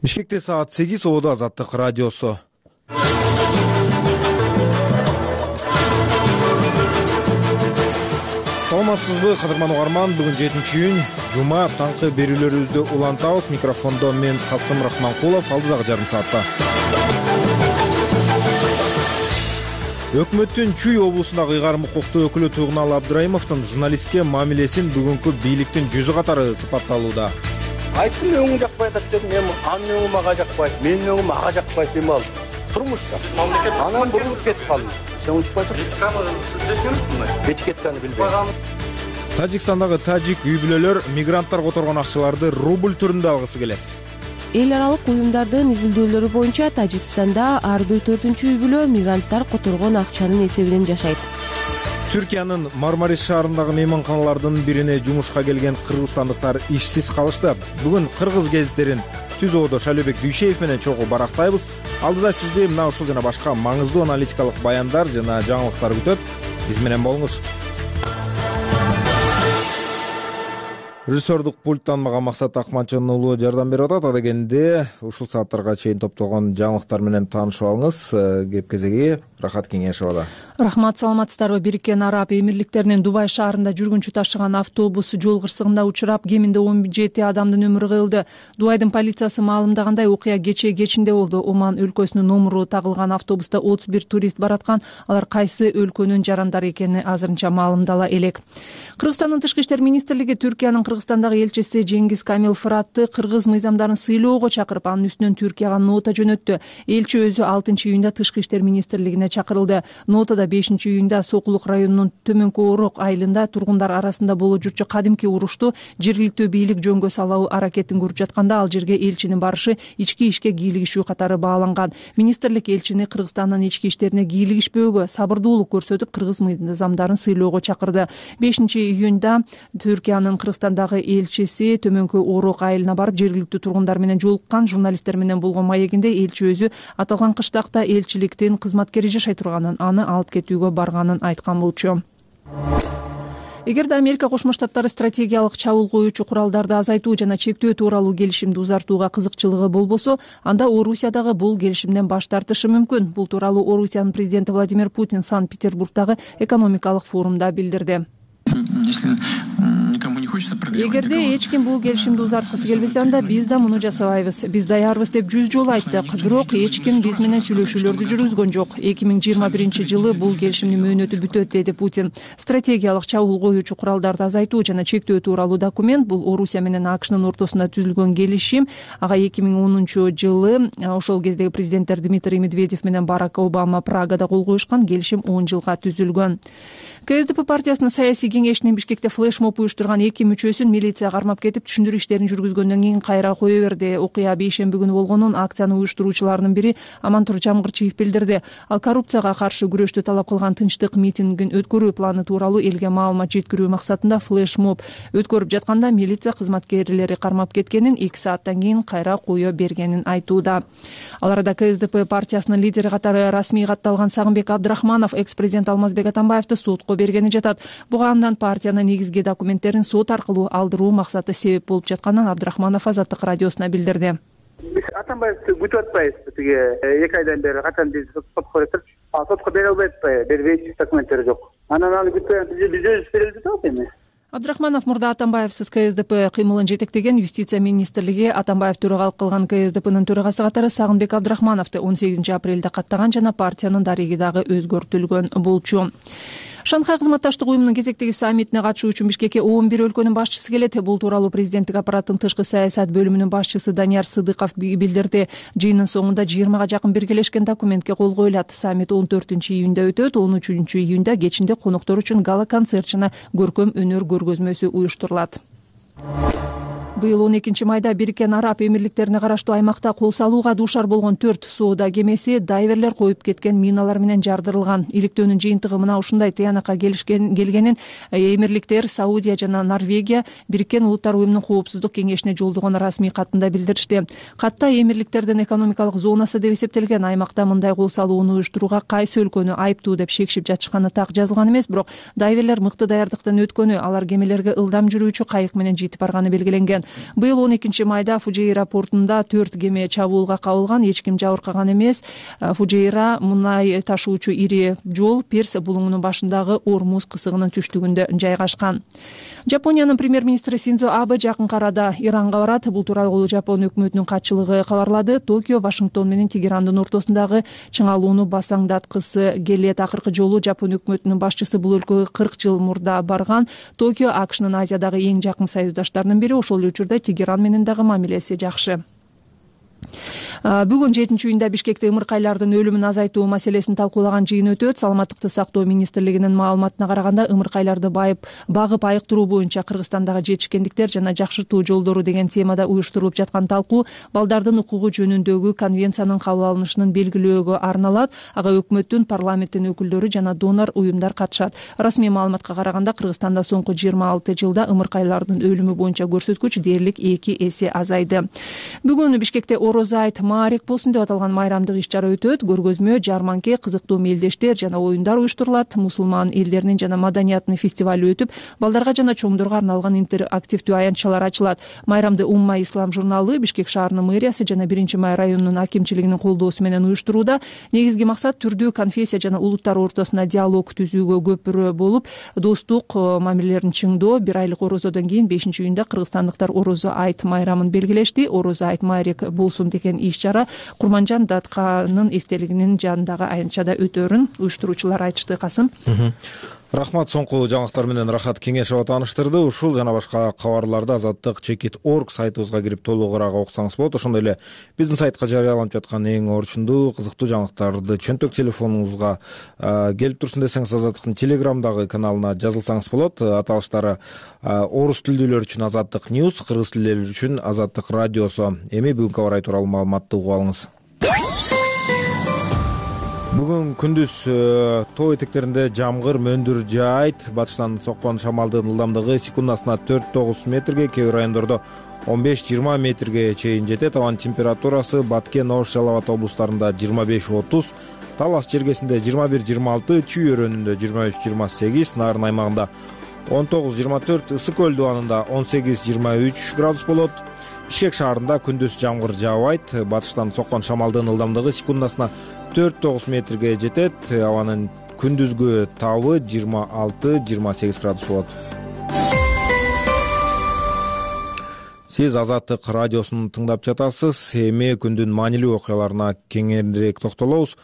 Бишкекте саат 8 Ободо Азаттык радиосу. Саламатсызбы, кадырман угарман? Бүгүн 7-июнь, жума, таңкы берүүлөрүбүздү улантабыз. Микрофондо мен Касым Рахманкулов, алдыдагы жарым саатта. Өкмөттүн Чүй облусундагы ыйгарым укуктуу өкүлү Тугунал Абдырайымовдун журналистке мамилесин бүгүнкү бийликтин жүзү катары сыпатталууда. Айттым, өңүң жакпайт деп дедим, мен анын өңү мага жакпайт, менин өңүм ага жакпайт деп ал. Турмушта. Анан бурулуп кетип калдым. Сен унчукпай тур. Этикеттени билбейм. Тажикстандагы тажик үй-бүлөлөр мигранттар которгон акчаларды рубль түрүндө алгысы келет. Эл аралык уюмдардын изилдөөлөрү боюнча Тажикстанда ар бир 4-үчү үй-бүлө мигранттар которгон акчанын эсебинен жашайт. Түркиянын Мармарис шаарындагы мейманканалардын бирине жумушка келген кыргызстандыктар ишсиз калышты. Бүгүн кыргыз гезиттерин Түз Ободо Шайлообек Дүйшеев менен чогуу барактайбыз. Алдыда сизди мына ушул жана башка маңыздуу аналитикалык баяндар жана жаңылыктар күтөт. Биз менен болуңуз. Режиссердук пульттан мага Максат Акманчын уулу жардам берип атат. Адегенде ушул сааттарга чейин топтолгон жаңылыктар менен таанышып алыңыз. Кеп кезеги Рахат Кеңешова. Рахмат, саламатсыздарбы? Бириккен Араб Эмирликтеринин Дубай шаарында жүргүнчү ташыган автобус жол кырсыгында учурап, кеминде 17 адамдын өмүрү кыйылды. Дубайдын полициясы маалымдагандай, окуя кечинде болду. Оман өлкөсүнүн номуру тагылган автобуста 31 турист бараткан. Алар кайсы өлкөнүн жарандары экени азырынча маалымдала элек. Кыргызстандын тышкы иштер министрлиги Түркиянын Кыргызстандагы элчиси Жеңгиз Камил Фыратты кыргыз мыйзамдарын сыйлоого чакырып, анын үстүнөн Түркияга нота жөнөттү. Элчи өзү 6-июнда тышкы иштер министрлигине чакырылды. Нотада 5-июнда Сокулук районунун Төмөнкү Орок айылында тургундар арасында болуп жүрчү кадимки урушту жергиликтүү бийлик жөнгө салуу аракетин көрүп жатканда, ал жерге элчинин барышы ички ишке кийлигишүү катары бааланган. Министрлик элчини Кыргызстандын ички иштерине кийлигишпөөгө, сабырдуулук көрсөтүп, кыргыз мыйзамдарын сыйлоого чакырды. 5-июнда Түркиянын Кыргызстандагы элчиси Төмөнкү Орок айылына барып, жергиликтүү тургундар менен жолуккан. Журналисттер менен болгон маегинде элчи өзү аталган кыштакта элчиликтин кызматкери жашай турганын, аны алып кетүүгө барганын айткан болчу. Эгерде Америка Кошмо Штаттары стратегиялык чабуул коюучу куралдарды азайтуу жана чектөө тууралуу келишимди узартууга кызыкчылыгы болбосо, анда Орусия дагы бул келишимден баш тартышы мүмкүн. Бул тууралуу Орусиянын президенти Владимир Путин Санкт-Петербургдагы экономикалык форумда билдирди. Эгерде эч ким бул келишимди узарткысы келбесе, анда биз да муну жасабайбыз. Биз даярбыз деп 100 жолу айттык. Бирок эч ким биз менен сүйлөшүүлөрдү жүргүзгөн жок. 2021-жылы бул келишимдин мөөнөтү бүтөт, деди Путин. Стратегиялык чабуул коюучу куралдарды азайтуу жана чектөө тууралуу документ — бул Орусия менен АКШнын ортосунда түзүлгөн келишим. Ага 2010-жылы ошол кездеги президенттер Дмитрий Медведев менен Барак Обама Прагада кол коюшкан. Келишим 10 жылга түзүлгөн. КСДП партиясынын саясий кеңешинин Бишкекте флешмоб уюштурган 2 мүчөсүн милиция кармап кетип, түшүндүрүү иштерин жүргүзгөндөн кийин кайра кое берди. Окуя бейшемби күнү болгонун акциянын уюштуруучуларынын бири Амантур Жамгырчиев билдирди. Ал коррупцияга каршы күрөштү талап кылган тынчтык митингин өткөрүү планы тууралуу элге маалымат жеткирүү максатында флешмоб өткөрүп жатканда милиция кызматкерлери кармап кеткенин, 2 сааттан кийин кайра кое бергенин айтууда. Ал арада КСДП партиясынын лидери катары расмий катталган Сагынбек Абдрахманов экс-президент Алмазбек Атамбаевди сотко бергени жатат. Буга андан партиянын негизги документтерин сот аркылуу алдыруу максаты себеп болуп жатканын Абдрахманов Азаттык радиосуна билдирди. Биз Атамбаевди күтүп атпайбыз. Тиги 2 айдан бери качан биз сотко берип, сотко бере албайт, бербейт, документтери жок. Анан аны күтөп биз өзүбүз берип жатабыз эми. Абдрахманов мурда Атамбаевсиз КСДП кыймылын жетектеген Юстиция министрлиги Атамбаев төрагалык кылган КСДПнын төрагасы катары Сагынбек Абдрахмановду 18 апрелде каттаган жана партиянын дареги дагы өзгөртүлгөн болчу. Шанхай кызматташтык уюмунун кезектеги саммитине катышуу үчүн Бишкекке 11 өлкөнүн башчысы келет. Бул тууралуу президенттик аппараттын тышкы саясат бөлүмүнүн башчысы Данияр Сыдыков билдирди. Жыйындын соңунда 20га жакын биргелешкен документке кол коюлат. Саммит 14-июнда өтөт. 13-июнда кечинде коноктор үчүн гала-концерт жана көркөм өнөр көргөзмөсү уюштурулат. Быйыл 12 майда Бириккен Араб Эмирликтерине караштуу аймакта кол салууга дуушар болгон 4 соода кемеси дайверлер коюп кеткен миналар менен жардырылган. Иликтөөнүн жыйынтыгы мына ушундай тыянакка келгенин Эмирликтер, Саудия жана Норвегия Бириккен Улуттар уюмунун коопсуздук кеңешине жолдогон расмий катында билдиришти. Катта Эмирликтердин экономикалык зонасы деп эсептелген аймакта мындай кол салууну уюштурууга кайсы өлкөнү айыптуу деп шекшип жатышканы так жазылган эмес, бирок дайверлер мыкты даярдыктан өткөнү, алар кемелерге ылдам жүрүүчү кайык менен жетип барганы белгиленген. Быйыл 12 майда Фужейра портунда 4 кеме чабуулга кабылган, эч ким жабыркаган эмес. Фужейра мунай ташуучу ири жол Перс булуңунун башындагы Ормуз кысыгынын түштүгүндө жайгашкан. Жапониянын премьер-министри Синдзо Абе жакынкы арада Иранга барат. Бул тууралуу Жапон өкмөтүнүн катчылыгы кабарлады. Токио Вашингтон менен Тегерандын ортосундагы чыңалууну басаңдаткысы келет. Акыркы жолу Жапон өкмөтүнүн башчысы бул өлкөгө 40 жыл мурда барган. Токио АКШнын Азиядагы эң жакын союздаштарынын бири. Ошол эле учурда Тегеран менен дагы мамилеси жакшы. Бүгүн 7-июнда Бишкекте ымыркайлардын өлүмүн азайтуу маселесин талкуулаган жыйын өтөт. Саламаттыкты сактоо министрлигинин маалыматына караганда, ымыркайларды багып айыктыруу боюнча Кыргызстандагы жетишкендиктер жана жакшыртуу жолдору деген темада уюштурулуп жаткан талкуу балдардын укугу жөнүндөгү конвенциянын кабыл алынышынын белгилөөгө арналат. Ага өкмөттүн, парламенттин өкүлдөрү жана донор уюмдар катышат. Расмий маалыматка караганда, Кыргызстанда соңку 26 жылда ымыркайлардын өлүмү боюнча көрсөткүч дээрлик 2 эсе азайды. Бүгүн Бишкекте Орозо айт Маарик болсун деп аталган майрамдык иш-чара өтөт. Көргөзмө, жарманке, кызыктуу мелдештер жана оюндар уюштурулат. Мусулман элдеринин жана маданиятынын фестивали өтүп, балдарга жана чоңдорго арналган интерактивдүү аянтчалар ачылат. Майрамды Умма Ислам журналы, Бишкек шаарынын мэриясы жана 1-май районунун акимчилигинин колдоосу менен уюштурууда. Негизги максат түрдүү конфессия жана улуттар ортосунда диалог түзүүгө көпүрө болуп, достук мамилелерин чыңдоо. 1 айлык орозодон кийин 5-июнда кыргызстандыктар Орозо айт майрамын белгилешти. Орозо айт Маарик болсун деген иш-чара Курманжан Датканын эстелигинин жанындагы аянтчада өтөрүн уюштуруучулар айтышты. Касым. Рахмат, соңку жаңылыктар менен Рахат Кеңешова тааныштырды. Ушул жана башка кабарларды Азаттык.org сайтыбызга кирип толугураак окусаңыз болот. Ошондой эле биздин сайтка жарыяланып жаткан эң орчундуу, кызыктуу жаңылыктарды чөнтөк телефонуңузга келип турсун десеңиз, Азаттыктын Телеграмдагы каналына жазылсаңыз болот. Аталыштары орус тилдүүлөр үчүн Азаттык News, кыргыз тилдүүлөр үчүн Азаттык радиосу. Эми бүгүнкү абар тууралуу маалыматты угуп алыңыз. Бүгүн күндүз тоо этектеринде жамгыр, мөндүр жаайт. Батыштан соккон шамалдын ылдамдыгы секундасына 4-9 метрге, кээ бир райондордо 15-20 метрге чейин жетет. Абанын температурасы Баткен, Ош, Жалал Абад облустарында 25-30, Талас жергесинде 21-26, Чүй өрөөнүндө 23-28, Нарын аймагында 19-24, Ысык көл дубанында 18-23 градус болот. Бишкек шаарында күндүз жамгыр жаабайт. Батыштан соккон шамалдын ылдамдыгы секундасына 4-9 метрге жетет. Абанын күндүзгү табы 26-28 градус болот. Сиз Азаттык радиосун тыңдап жатасыз. Эми күндүн маанилүү окуяларына кеңирээк токтолобуз.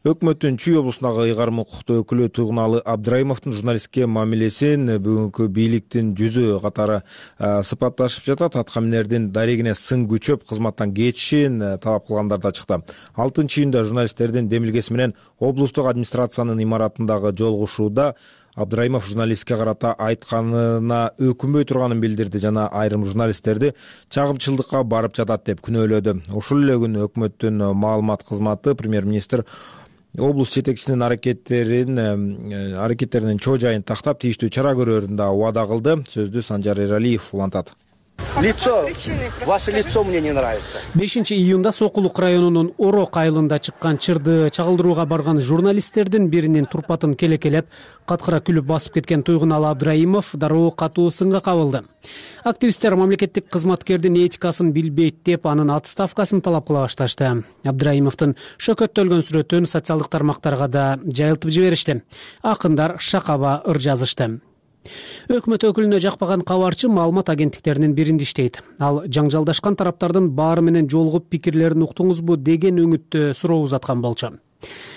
Өкмөттүн Чүй облусундагы ыйгарым укуктуу өкүлү Туйгуналы Абдрайымовдун журналистке мамилесин бүгүнкү бийликтин жүзү катары сыпатташып жатат. Аткаминердин дарегине сын күчөп кызматтан кетишин талап кылгандар да чыкты. 6-июнда журналисттердин демилгеси менен облустук администрациянын имаратындагы жолугушууда Абдрайымов журналистке карата айтканына өкүнбөй турганын билдирди жана айрым журналисттерди чагымчылдыкка барып жатат деп күнөөлөдү. Ушул эле күнү өкмөттүн маалымат кызматы премьер-министр облус жетекчисинин аракеттеринин чоо жайын тактап тийиштүү чара көрөрүн да убада кылды. Сөздү Санжар Эралиев улантат. Ваше лицо мне не нравится. 5-июнда Сокулук районунун Орок айылында чыккан чырды чагылдырууга барган журналисттердин биринин турпатын келекелеп, каткыра күлүп басып кеткен Туйгуналы Абдрайымов дароо катуу сынга кабылды. Активисттер мамлекеттик кызматкердин этикасын билбейт деп анын отставкасын талап кыла башташты. Абдрайымовдун шөкөттөлгөн сүрөтүн социалдык тармактарга да жайылтып жиберишти. Акындар шакаба ыр жазышты. Өкмөт өкүлүнө жакпаган кабарчы маалымат агенттиктеринин биринде иштейт. Ал жаңжалдашкан тараптардын баары менен жолугуп пикирлерин уктуңузбу деген өңүттө суроо узаткан болчу.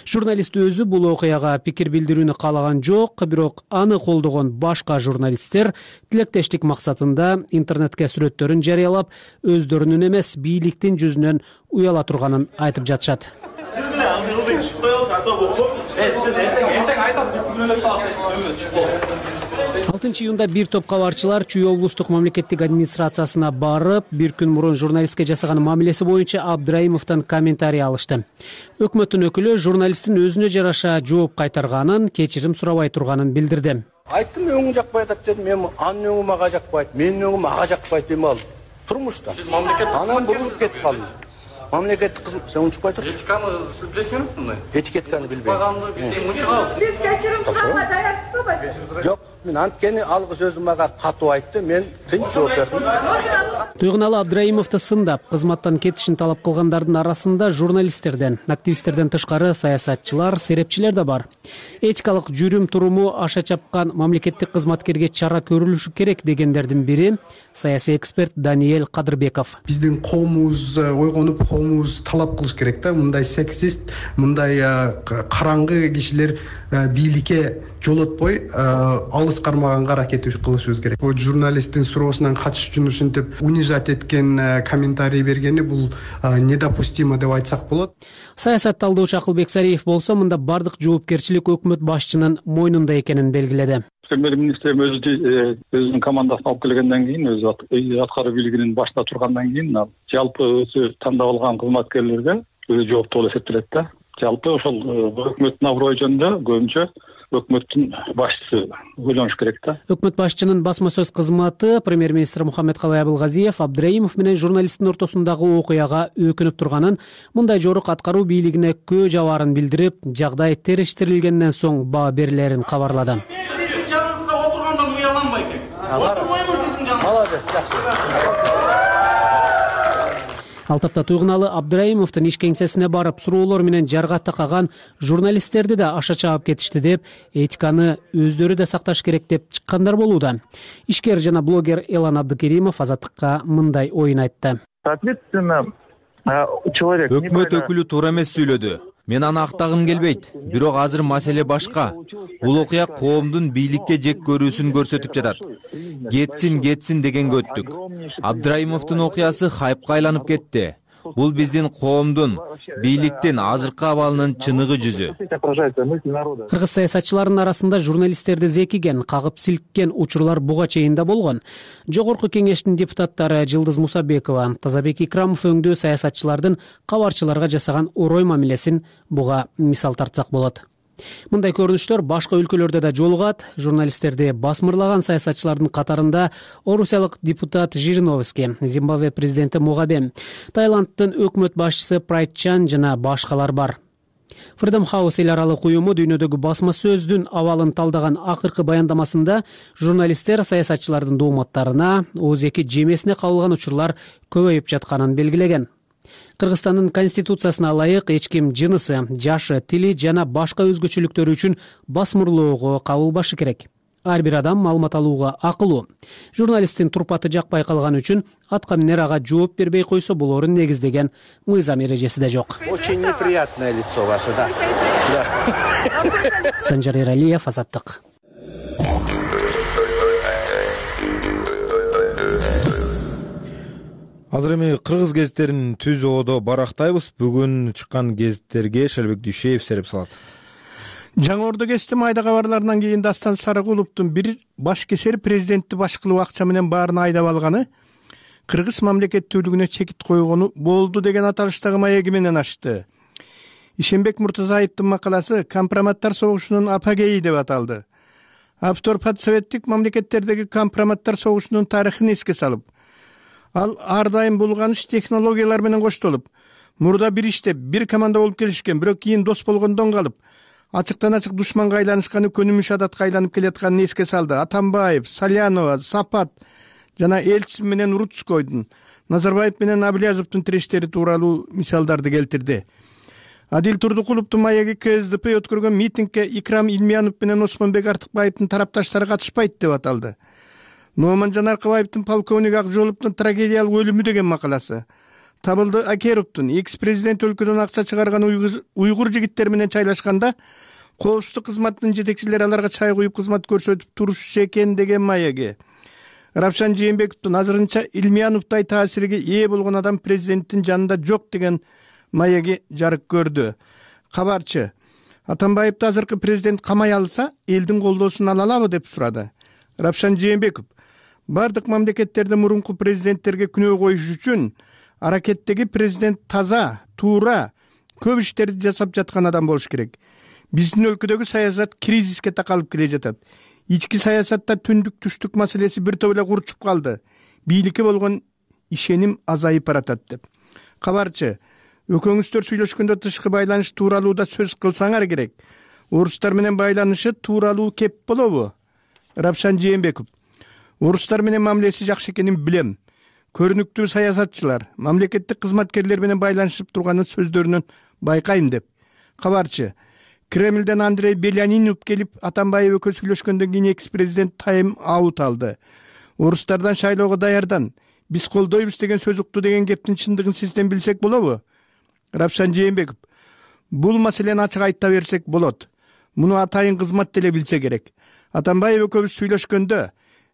Журналист өзү бул окуяга пикир билдирүүнү каалаган жок, бирок аны колдогон башка журналисттер тилектештик максатында интернетке сүрөттөрүн жарыялап, өздөрүнүн эмес бийликтин жүзүнөн уяла турганын айтып жатышат. 6-июнда бир топ кабарчылар Чүй облустук мамлекеттик администрациясына барып, бир күн мурун журналистке жасаган мамилеси боюнча Абдрайымовдон комментарий алышты. Өкмөттүн өкүлү журналисттин өзүнө жараша жооп кайтарганын, кечирим сурабай турганын билдирди. Айттым, өңүң жакпай атат дедим. Мен анын өңү мага жакпайт, менин өңүм ага жакпайт дейм ал. Турмушта. Анан бурулуп кетип калдым. Мамлекеттик кызмат, сен унчукпай турчу. Этиканы билесиңерби? Этикетканы билбейм. Биз кечирим сурабай даярсызбы? Жок. Мен анткени алгы сөзү мага катуу айтты, мен тынч жооп бердим. Туйгуналы Абдраимовду сындап, кызматтан кетишин талап кылгандардын арасында журналисттерден, активисттерден тышкары саясатчылар, серепчилер да бар. Этикалык жүрүм туруму аша чапкан мамлекеттик кызматкерге чара көрүлүшү керек дегендердин бири саясий эксперт Даниэль Кадырбеков. Биздин коомубуз ойгонуп, коомубуз талап кылыш керек да, мындай сексист, мындай караңгы кишилер бийликке жолотпой алыс кармаганга аракет кылышыбыз керек. Бул журналисттин суроосунан качыш үчүн ушинтип унижать эткен комментарий бергени бул недопустимо деп айтсак болот. Саясат талдоочу Акылбек Сариев болсо мында бардык жоопкерчилик өкмөт башчынын мойнунда экенин белгиледи. Премьер-министр өзүнүн командасын алып келгенден кийин, өзү аткаруу бийлигинин башында тургандан кийин жалпы өзү тандап алган кызматкерлерге өзү жооптуу болуп эсептелет да. Жалпы ошол өкмөттүн аброю жөнүндө көбүнчө өкмөттүн башчысы ойлонуш керек да. Өкмөт башчынын басма сөз кызматы премьер-министр Мухаммедкалый Абылгазиев Абдраимов менен журналисттин ортосундагы окуяга өкүнүп турганын, мындай жорук аткаруу бийлигине көө жабаарын билдирип, жагдай териштирилгенден соң баа берилерин кабарлады. Сиздин жаныңызга отургандан уяланбай экен. Отурбаймын сиздин жаныңызга. Молодец, жакшы. Ал тапта Туйгуналы Абдраимовдун иш кеңсесине барып, суроолор менен жарга такаган журналисттерди да аша чаап кетишти деп, этиканы өздөрү да сакташ керек деп чыккандар болууда. Ишкер жана блогер Элан Абдыкеримов Азаттыкка мындай оюн айтты. Соответственно, человек... Өкмөт өкүлү туура эмес сүйлөдү. Мен аны актагым келбейт. Бирок азыр маселе башка. Бул окуя коомдун бийликке жек көрүүсүн көрсөтүп жатат. Кетсин дегенге өттүк. Абдраимовдун окуясы хайпка айланып кетти. Бул биздин коомдун, бийликтин азыркы абалынын чыныгы жүзү. Кыргыз саясатчыларынын арасында журналисттерди зекиген, кагып силккен учурлар буга чейин да болгон. Жогорку кеңештин депутаттары Жылдыз Мусабекова, Тазабек Икрамов өңдүү саясатчылардын кабарчыларга жасаган орой мамилесин буга мисал тартсак болот. Мындай көрүнүштөр башка өлкөлөрдө да жолугат. Журналисттерди басмырлаган саясатчылардын катарында орусиялык депутат Жириновский, Зимбабве президенти Мугабе, Таиланддын өкмөт башчысы Прайт Чан жана башкалар бар. Freedom House эл аралык уюму дүйнөдөгү басма сөздүн абалын талдаган акыркы баяндамасында журналисттер саясатчылардын дооматтарына ООЗ-2 жемесине кабылган учурлар көбөйүп жатканын белгилеген. Кыргызстандын конституциясына ылайык эч ким жынысы, жашы, тили жана башка өзгөчөлүктөрү үчүн басмырлоого кабылбашы керек. Ар бир адам маалымат алууга акылуу. Журналисттин турпаты жакпай калган үчүн атка минер ага жооп бербей койсо болорун негиздеген мыйзам эрежеси да жок. Очень неприятное лицо ваше, да. Санжар Эралиев, Азаттык. Азыр эми кыргыз гезиттерин түз оодо барактайбыз. Бүгүн чыккан гезиттерге Шелбек Дүйшеев сереп салат. Жаңы Ордо гезити майда кабарларынан кийин Дастан Сарыгуловдун бир баш кесери президентти баш кылуу акча менен баарын айдап алганы, кыргыз мамлекеттүүлүгүнө чекит койгону болду деген аталыштагы маеги менен ачты. Ишенбек Муртазаевдин макаласы «Компроматтар согушунун апогейи» деп аталды. Автор подсоветтик мамлекеттердеги компроматтар согушунун тарыхын эске салып, ал ар дайым булганыш технологиялар менен коштолуп, мурда бир иштеп, бир команда болуп келишкен, бирок кийин дос болгондон калып, ачыктан ачык душманга айланышканы көнүмүш адатка айланып келатканын эске салды. Атамбаев, Салянова, Сапат жана Элчиев менен Рудскойдун, Назарбаев менен Абылязовдун тирештери тууралуу мисалдарды келтирди. Адил Турдукуловдун маеги КСДП өткөргөн митингге Икрам Илмиянов менен Осмонбек Артыкбаевдин тарапташтары катышпайт деп аталды. Номан Жанаркыбаевдин полковник Акжоловдун трагедиялык өлүмү деген макаласы. Табылды Акеровдун экс-президент өлкөдөн акча чыгарган уйгур жигиттери менен чайлашканда коопсуздук кызматынын жетекчилери аларга чай куюп кызмат көрсөтүп турушчу экен деген маеги. Равшан Жээнбековдун азырынча Илмияновдай таасирге ээ болгон адам президенттин жанында жок деген маеги жарык көрдү. Кабарчы: Атамбаевди азыркы президент камай алса, элдин колдоосун ала алабы деп сурады. Равшан Жээнбеков: бардык мамлекеттерде мурунку президенттерге күнөө коюш үчүн аракеттеги президент таза, туура, көп иштерди жасап жаткан адам болуш керек. Биздин өлкөдөгү саясат кризиске такалып келе жатат. Ички саясатта түндүк түштүк маселеси бир топ эле курчуп калды. Бийликке болгон ишеним азайып баратат деп. Кабарчы: экөөңүздөр сүйлөшкөндө тышкы байланыш тууралуу да сөз кылсаңар керек. Орустар менен байланышы тууралуу кеп болобу? Рапшан Жээнбеков: орустар менен мамилеси жакшы экенин билем. Көрүнүктүү саясатчылар, мамлекеттик кызматкерлер менен байланышып турганын сөздөрүнөн байкайм деп. Кабарчы: Кремлден Андрей Белянинов келип, Атамбаев экөө сүйлөшкөндөн кийин экс-президент тайм-аут алды. Орустардан шайлоого даярдан, биз колдойбуз деген сөз укту деген кептин чындыгын сизден билсек болобу? Рапшан Жээнбеков: бул маселени ачык айта берсек болот. Муну атайын кызмат деле билсе керек. Атамбаев экөөбүз сүйлөшкөндө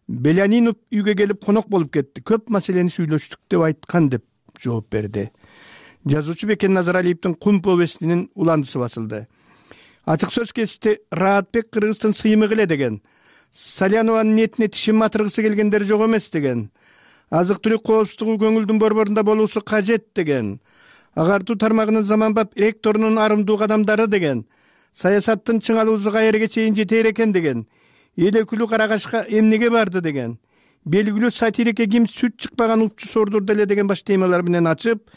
Белянинов үйгө келип конок болуп кетти. Көп маселени сүйлөштүк деп айткан деп жооп берди. Жазуучу Бекен Назаралиевдин Кум повестинин уландысы басылды. Ачык сөз кести Раатбек Кыргыздын сыймык эле деген. Салянованын ниетине тишин матыргысы келгендер жок эмес деген. Азык-түлүк коопсуздугу көңүлдүн борборунда болуусу кажет деген. Агартуу тармагынын заманбап ректорунун арымдуу кадамдары деген. Саясаттын чыңалуусу каерге чейин жетер экен деген. Эл өкүлү Карагашка эмнеге барды деген. Белгилүү сатирикке ким сүт чыкпаган упчу сордурду эле деген баш темалар менен ачып,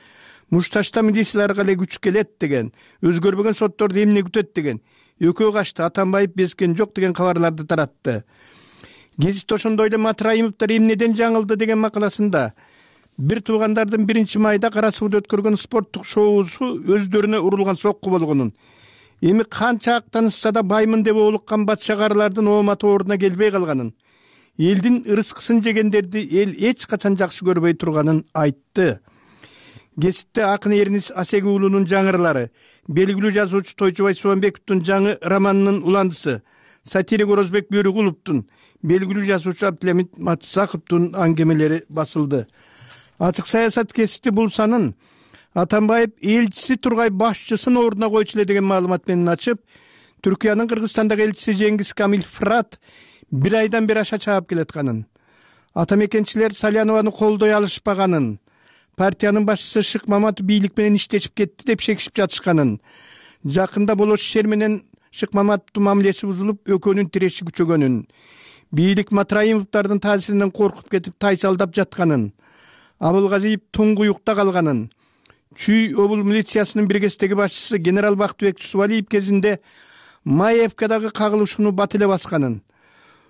мушташта милицияларга эле күч келет деген. Өзгөрбөгөн сотторду эмне күтөт деген. Экөө качты, Атамбаев безген жок деген кабарларды таратты. Гезит ошондой эле Матраимовдор эмнеден жаңылды деген макаласында бир туугандардын 1-майда Кара Сууда өткөргөн спорттук шоусу өздөрүнө урулган сокку болгонун, эми канча актанышса да баймын деп олуккан батшагарлардын ооматы ордуна келбей калганын, элдин ырыскысын жегендерди эл эч качан жакшы көрбөй турганын айтты. Гезитте акын Эрнис Асеги уулунун жаңырлары, белгилүү жазуучу Тойчубай Субанбековдун жаңы романынын уландысы, сатирик Орозбек Бөрүкуловдун, белгилүү жазуучу Абдылhamid Матсаковдун аңгемелери басылды. Ачык саясат кести бул санын Атамбаев элчиси Тургай башчысын ордуна койчу эле деген маалымат менен ачып, Түркиянын Кыргызстандагы элчиси Жеңгиз Камил Фрат бир айдан бери аша чаап келатканын, атамекенчилер Салянованы колдой алышпаганын, партиянын башчысы Шык Маматов бийлик менен иштешип кетти деп шекишип жатышканын, жакында Болош Шер менен Шык Маматовдун мамилеси бузулуп, экөөнүн тиреши күчөгөнүн, бийлик Матраимовдордун таасиринен коркуп кетип тайсалдап жатканын, Абылгазиев туңгуюкта калганын, Чүй обул милициясынын биргестеги башчысы генерал Бактыбек Субалиев кезинде Маевкадагы кагылышууну бат эле басканын,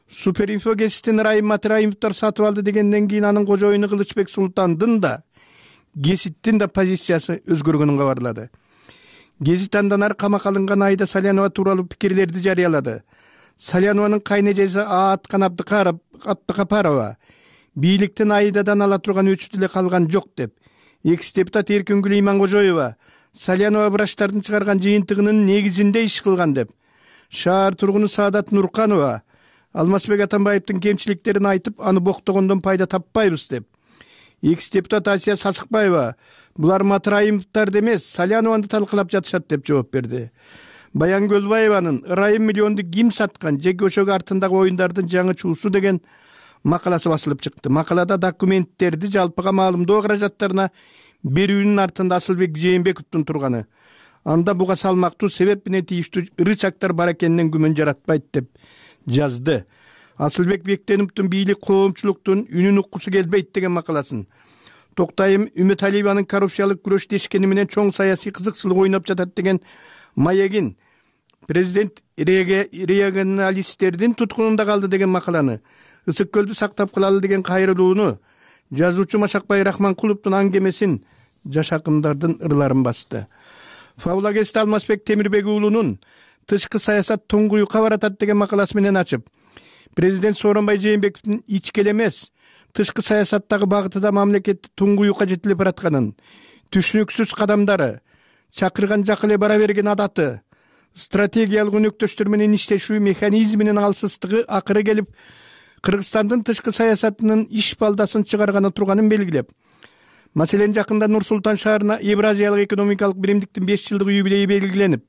Суперинфо гезитин Райым Матраимовдор сатып алды дегенден кийин анын кожоюну Кылычбек Султандын да гезиттин да позициясы өзгөргөнүн кабарлады. Гезит андан ары камакка алынган айда Салянова тууралуу пикирлерди жарыялады. Салянованын кайнежеси Ааткан Абдыкапарова бийликтен айдадан ала турган өчү деле калган жок деп, экс-депутат Эркингүл Иманкожоева Салянова врачтардын чыгарган жыйынтыгынын негизинде иш кылган деп, шаар тургуну Саадат Нурканова Алмазбек Атамбаевдин кемчиликтерин айтып, аны боктогондон пайда таппайбыз деп, экс-депутат Асия Сасыкбаева булар Матраимовдор эмес, Салянованы талкалап жатышат деп жооп берди. Баян Көлбаеванын Ырайым миллионду ким саткан, жеке өшөк артындагы оюндардын жаңы чуусу деген макаласы басылып чыкты. Макалада документтерди жалпыга маалымдоо каражаттарына берүүнүн артында Асылбек Жээнбековдун турганы, анда буга салмактуу себеп менен тийиштүү рычагдар бар экенинен күмөн жаратпайт деп жазды. Асылбек Бектеновдун бийлик коомчулуктун үнүн уккусу келбейт деген макаласын, Токтайым Үмөталиеванын коррупциялык күрөш дешкени менен чоң саясий кызыкчылык ойноп жатат деген маегин, президент регионалисттердин туткунунда калды деген макаланы, Ысык көлдү сактап калалы деген кайрылууну, жазуучу Машакбай Рахманкуловдун аңгемесин, жаш акындардын ырларын басты. Фаулагест Алмазбек Темирбек уулунун тышкы саясат туңгуюкка баратат деген макаласы менен ачып, президент Сооронбай Жээнбековдун ички эле эмес, тышкы саясаттагы багытыда мамлекетти туңгуюкка жетилип баратканын, түшүнүксүз кадамдары, чакырган жак эле бара берген адаты, стратегиялык өнөктөштөр менен иштешүү механизминин алсыздыгы акыры келип Кыргызстандын тышкы саясатынын иш балдасын чыгарганы турганын белгилеп, маселен жакында Нур Султан шаарына Евразиялык экономикалык биримдиктин 5 жылдык юбилейи белгиленип,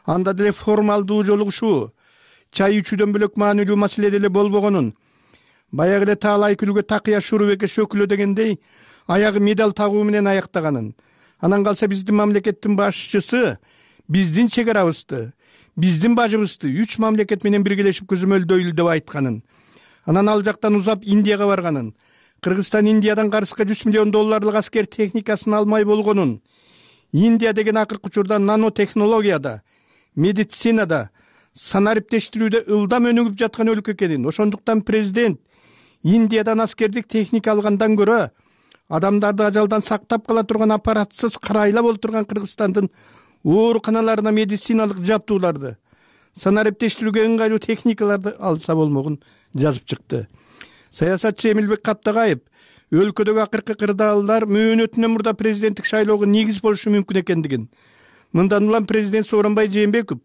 анда деле формалдуу жолугушуу, чай ичүүдөн бөлөк маанилүү маселе деле болбогонун, баягы эле Таалай күлгө такыя Шурубеке шөкүлө дегендей аягы медаль тагуу менен аяктаганын, анан калса биздин мамлекеттин башчысы биздин чек арабызды, биздин бажыбызды 3 мамлекет менен биргелешип көзөмөлдөйлү деп айтканын, анан ал жактан узап Индияга барганын, Кыргызстан Индиядан карызга $100 миллион аскер техникасын алмай болгонун, Индия деген акыркы учурда нанотехнологияда, медицинада, санариптештирүүдө ылдам өнүгүп жаткан өлкө экенин, ошондуктан президент Индиядан аскердик техника алгандан көрө адамдарды ажалдан сактап кала турган аппаратсыз карайлап отурган Кыргызстандын ооруканаларына медициналык жабдууларды, санариптештирүүгө ыңгайлуу техникаларды алса болмогун жазып чыкты. Саясатчы Эмилбек Каптагаев өлкөдөгү акыркы кырдаалдар мөөнөтүнөн мурда президенттик шайлоого негиз болушу мүмкүн экендигин, мындан улам президент Сооронбай Жээнбеков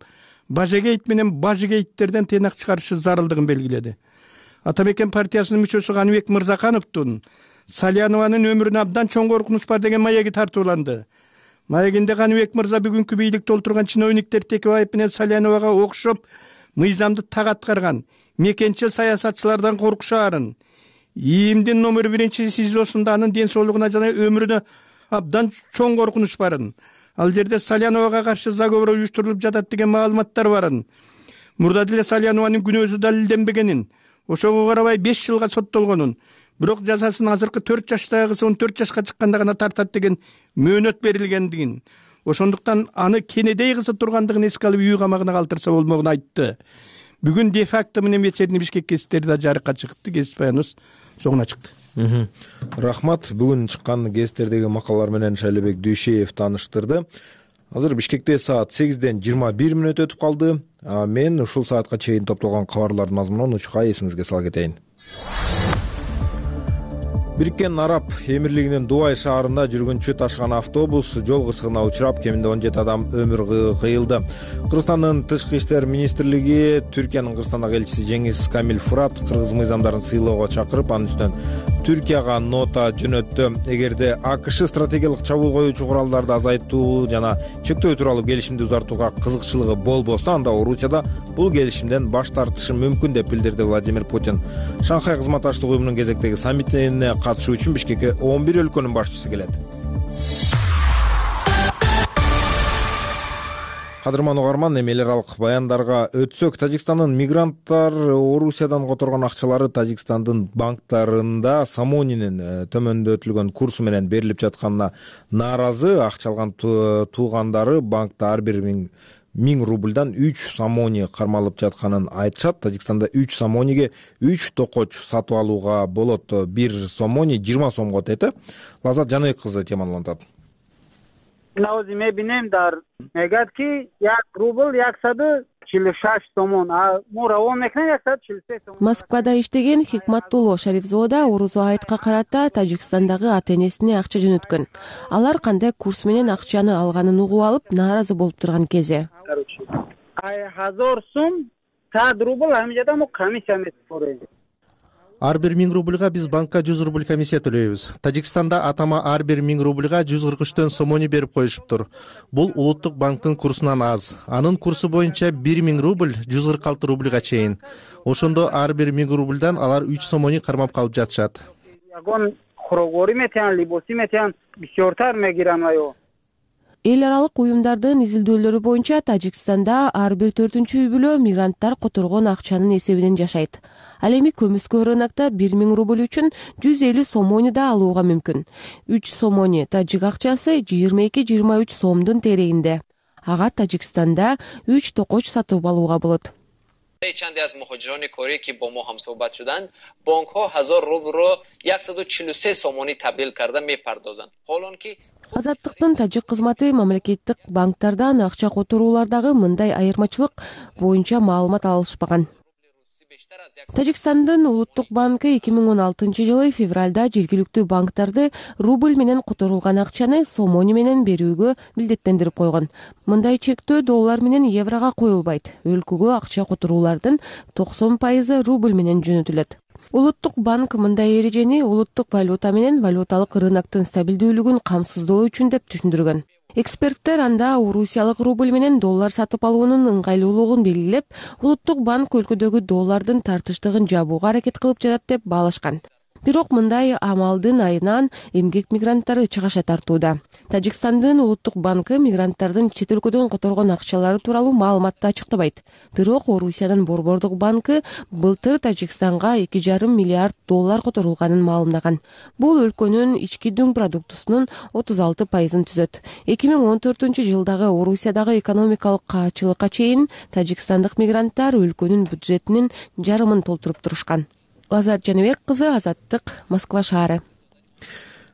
бажегейт менен бажегейттерден тыйнак чыгарышы зарылдыгын белгиледи. Ата мекен партиясынын мүчөсү Каныбек Мырзакановдун Салянованын өмүрүнө абдан чоң коркунуч бар деген маеги тартууланды. Маегинде Каныбек мырза бүгүнкү бийликте отурган чиновниктер Текебаев менен Саляновага окшоп мыйзамды так аткарган мекенчил саясатчылардан коркушаарын, ИИМдин номер 1 СИЗОсунда анын ден соолугуна жана өмүрүнө абдан чоң коркунуч барын, ал жерде Саляновага каршы заговор уюштурулуп жатат деген маалыматтар барын, мурда деле Салянованын күнөөсү далилденбегенин, ошого карабай 5 жылга соттолгонун, бирок жазасын азыркы 4 жаштагы кызы 14 жашка чыкканда гана тартат деген мөөнөт берилгендигин, ошондуктан аны кенедей кызы тургандыгын эске алып үй камагына калтырса болмогун айтты. Бүгүн де факто менен вечерний Бишкек гезиттери да жарыкка чыкты, гезит баяныбыз соңуна чыкты. Рахмат. Бүгүн чыккан гезиттердеги макалалар менен Шайлообек Дүйшеев тааныштырды. Азыр Бишкекте саат 8ден 21 мүнөт өтүп калды. Мен ушул саатка чейин топтолгон кабарлардын мазмунун учка эсиңизге сала кетейин. Бириккен Араб Эмирлигинин Дубай шаарында жүргүнчү ташыган автобус жол кырсыгына учурап, кеминде 17 адам өмүр кыйылды. Кыргызстандын Тышкы иштер министрлиги Түркиянын Кыргызстандагы элчиси Жеңиз Камил Фурат кыргыз мыйзамдарын сыйлоого чакырып, анын үстүнөн Түркияга нота жөнөттү. Эгерде АКШ стратегиялык чабуул коюучу куралдарды азайтуу жана чектөө тууралуу келишимди узартууга кызыкчылыгы болбосо, анда Орусияда бул келишимден баш тартышы мүмкүн деп билдирди Владимир Путин. Шанхай кызматташтык уюмунун кезектеги саммитине катышуу үчүн Бишкекке 11 өлкөнүн башчысы келет. Кадырман угарман, эми эл аралык баяндарга өтсөк, Тажикстандын мигранттар Орусиядан которгон акчалары Тажикстандын банктарында Самонинин төмөндөтүлгөн курсу менен берилип жатканына нааразы. Акча алган туугандары банкта ар бир 1000 рубльдан 3 самони кармалып жатканын айтышат. Тажикстанда 3 самониге 3 токоч сатып алууга болот. 1 самони 20 сомго тети. Лазат Жаныбек кызы темалантат. Наузиме бинем дар мегатки 1 рубль 146 сомон, а мура он мекне 146 сомон. Москвада иштеген Хикматтулло Шарифзода Орузо Айтка карата Тажикстандагы ата-энесине акча жөнөткөн. Алар кандай курс менен акчаны алганын угуп алып, нааразы болуп турган кези. 1000 сом 100 рубль амжада мо комиссия метип. Ар бир 1000 рубльга биз банкка 100 рубль комиссия төлөйбүз. Тажикстанда атама ар бир 1000 рубльга 143 сомони берип коюшуптур. Бул улуттук банктын курсунан аз. Анын курсу боюнча 1000 рубль 146 рубльга чейин. Ошондо ар бир 1000 рубльдан алар 3 сомони кармап калып жатышат. Ягон хорогори метен, либоси метен, бисёртар мегирам айо. Эл аралык уюмдардын изилдөөлөрү боюнча Тажикстанда ар бир 4-үй бүлө мигранттар которгон акчанын эсебинен жашайт. Ал эми көмүскө рынокто 1000 рубль үчүн 150 сомони да алууга мүмкүн. 3 сомони тажик акчасы 22-23 сомдун терегинде. Ага Тажикстанда 3 токоч сатып алууга болот. چندی از مهاجران کره که با ما هم صحبت شدند بانک ها 1000 روبل رو 143 сомони تبدیل کرده میپردازند. حالان که Азаттыктын тажик кызматы мамлекеттик банктардан акча которуулардагы мындай айырмачылык боюнча маалымат алышпаган. Тажикстандын улуттук банкы 2016-жылы февралда жергиликтүү банктарды рубль менен которулган акчаны сомони менен берүүгө милдеттендирип койгон. Мындай чектөө доллар менен еврого коюлбайт. Өлкөгө акча которуулардын 90% рубль менен жөнөтүлөт. Улуттук банк мындай эрежени улуттук валюта менен валюталык рыноктун стабилдүүлүгүн камсыздоо үчүн деп түшүндүргөн. Эксперттер анда Орусиялык рубль менен доллар сатып алуунун ыңгайлуулугун белгилеп, улуттук банк өлкөдөгү доллардын тартыштыгын жабууга аракет кылып жатат деп баалашкан. Бирок мындай амалдын айынан эмгек мигранттары чыгаша тартууда. Тажикстандын улуттук банкы мигранттардын чет өлкөдөн которгон акчалары тууралуу маалыматты ачыктабайт. Бирок Орусиянын Борбордук банкы былтыр Тажикстанга $2,5 миллиард которулганын маалымдаган. Бул өлкөнүн ички дүң продуктусунун 36%-ын түзөт. 2014-жылдагы Орусиядагы экономикалык каачылыкка чейин тажикстандык мигранттар өлкөнүн бюджетинин жарымын толтуруп турушкан. Лазар Жаныбек кызы, Азаттык, Москва шаары.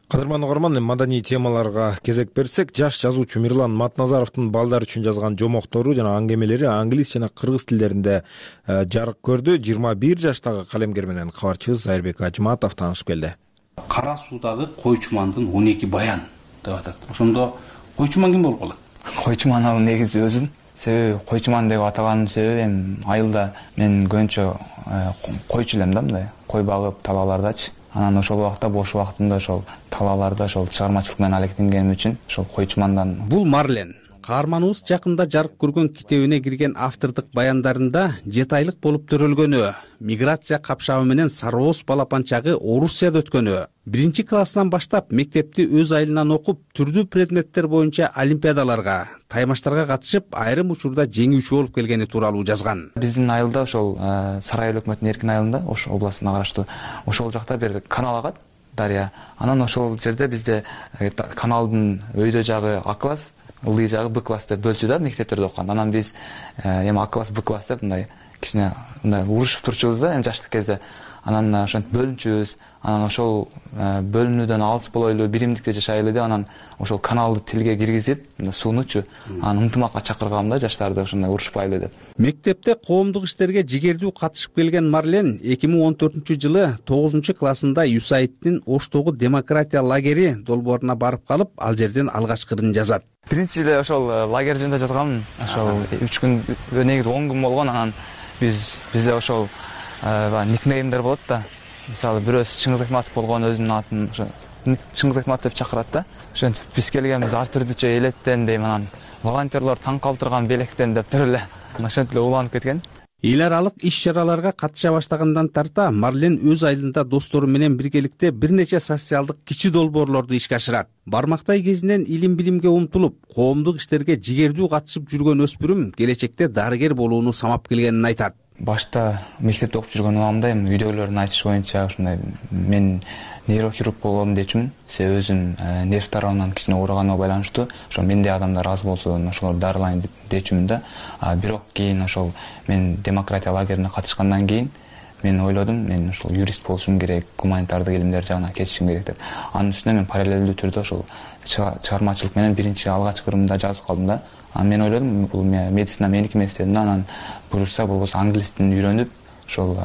Кадырман угарман, маданий темаларга кезек берсек, жаш жазуучу Мирлан Матназаровдун балдар үчүн жазган жомоктору жана аңгемелери англис жана кыргыз тилдеринде жарык көрдү. 21 жаштагы калемгер менен кабарчыбыз Айырбек Ажматов таанышып келди. Кара суудагы койчумандын 12 баян деп атат. Ошондо койчуман ким болуп калат? Койчуман ал негизи өзүн. Себеби койчуман деп атаганын себеби эми айылда мен көбүнчө койчу элем да, мындай кой багып талаалардачы. Анан ошол убакта бош убактымда ошол талааларда ошол чыгармачылык менен алектенгеним үчүн ошол койчумандан. Бул Марлен. Каарманыбыз жакында жарык көргөн китебине кирген автордук баяндарында 7 айлык болуп төрөлгөнү, миграция капшабы менен Сарооз балапанчагы Орусияда өткөнү, 1-класстан баштап мектепти өз айылынан окуп, түрдүү предметтер боюнча олимпиадаларга, таймаштарга катышып, айрым учурда жеңүүчү болуп келгени тууралуу жазган. Биздин айылда ошол Сарай эл өкмөтүнүн эркин айылында, Ош областына караштуу, ошол жакта бир канал агат, дарыя. Анан ошол жерде бизде каналдын өйдө жагы А класс, ылдый жагы Б класс деп бөлчү да, мектептерде окуганда. Анан биз эми А класс, Б класс деп мындай кичине мындай урушуп турчубуз да, эми жаштык кезде. Анан ошентип бөлүнчүбүз. Анан ошол бөлүнүүдөн алыс болойлу, биримдикте жашайлы деп анан ошол каналды тилге киргизип, суунучу, анан ынтымакка чакыргам да жаштарды ошондой урушпайлы деп. Мектепте коомдук иштерге жигердүү катышып келген Марлен 2014-жылы 9-классында USAID'дин Оштогу демократия лагери долбооруна барып калып, ал жерден алгачкысын жазат. Биринчи эле ошол лагерь жөнүндө жазгам. Ошол 3 күн, негизи 10 күн болгон. Анан бизде ошол никнеймдер болот да. Мисалы бирөөсү Чыңгыз Айтматов болгон, өзүнүн атын ошо Чыңгыз Айтматов деп чакырат да. Ошентип биз келгенбиз ар түрдүүчө элеттен дейм, анан волонтерлор таң калтырган белектен деп туруп эле ошентип уланып кеткен. Эл аралык иш-чараларга катыша баштагандан тарта Марлен өз айылында достору менен биргеликте бир нече социалдык кичи долбоорлорду ишке ашырат. Бармактай кезинен илим-билимге умтулуп, коомдук иштерге жигердүү катышып жүргөн өспүрүм келечекте дарыгер болууну самап келгенин айтат. Башта мектепте окуп жүргөн убагымда эми үйдөгүлөрдүн айтышы боюнча ошондой мен нейрохирург болом дечүмүн. Себеби өзүм нерв тарабынан кичине ооруганыма байланыштуу. Ошо менде адамдар аз болсун, ошолорду дарылайын дечүмүн да. Бирок кийин ошол мен демократия лагерине катышкандан кийин мен ойлодум, мен ошол юрист болушум керек, гуманитардык илимдер жагына кетишим керек деп. Анын үстүнө мен параллелдүү түрдө ошол чыгармачылык менен биринчи алгачкырымда жазып калдым да. Анан мен ойлодум, бул медицина меники эмес дедим да. Анан буюрса болбосо англис тилин үйрөнүп, ошол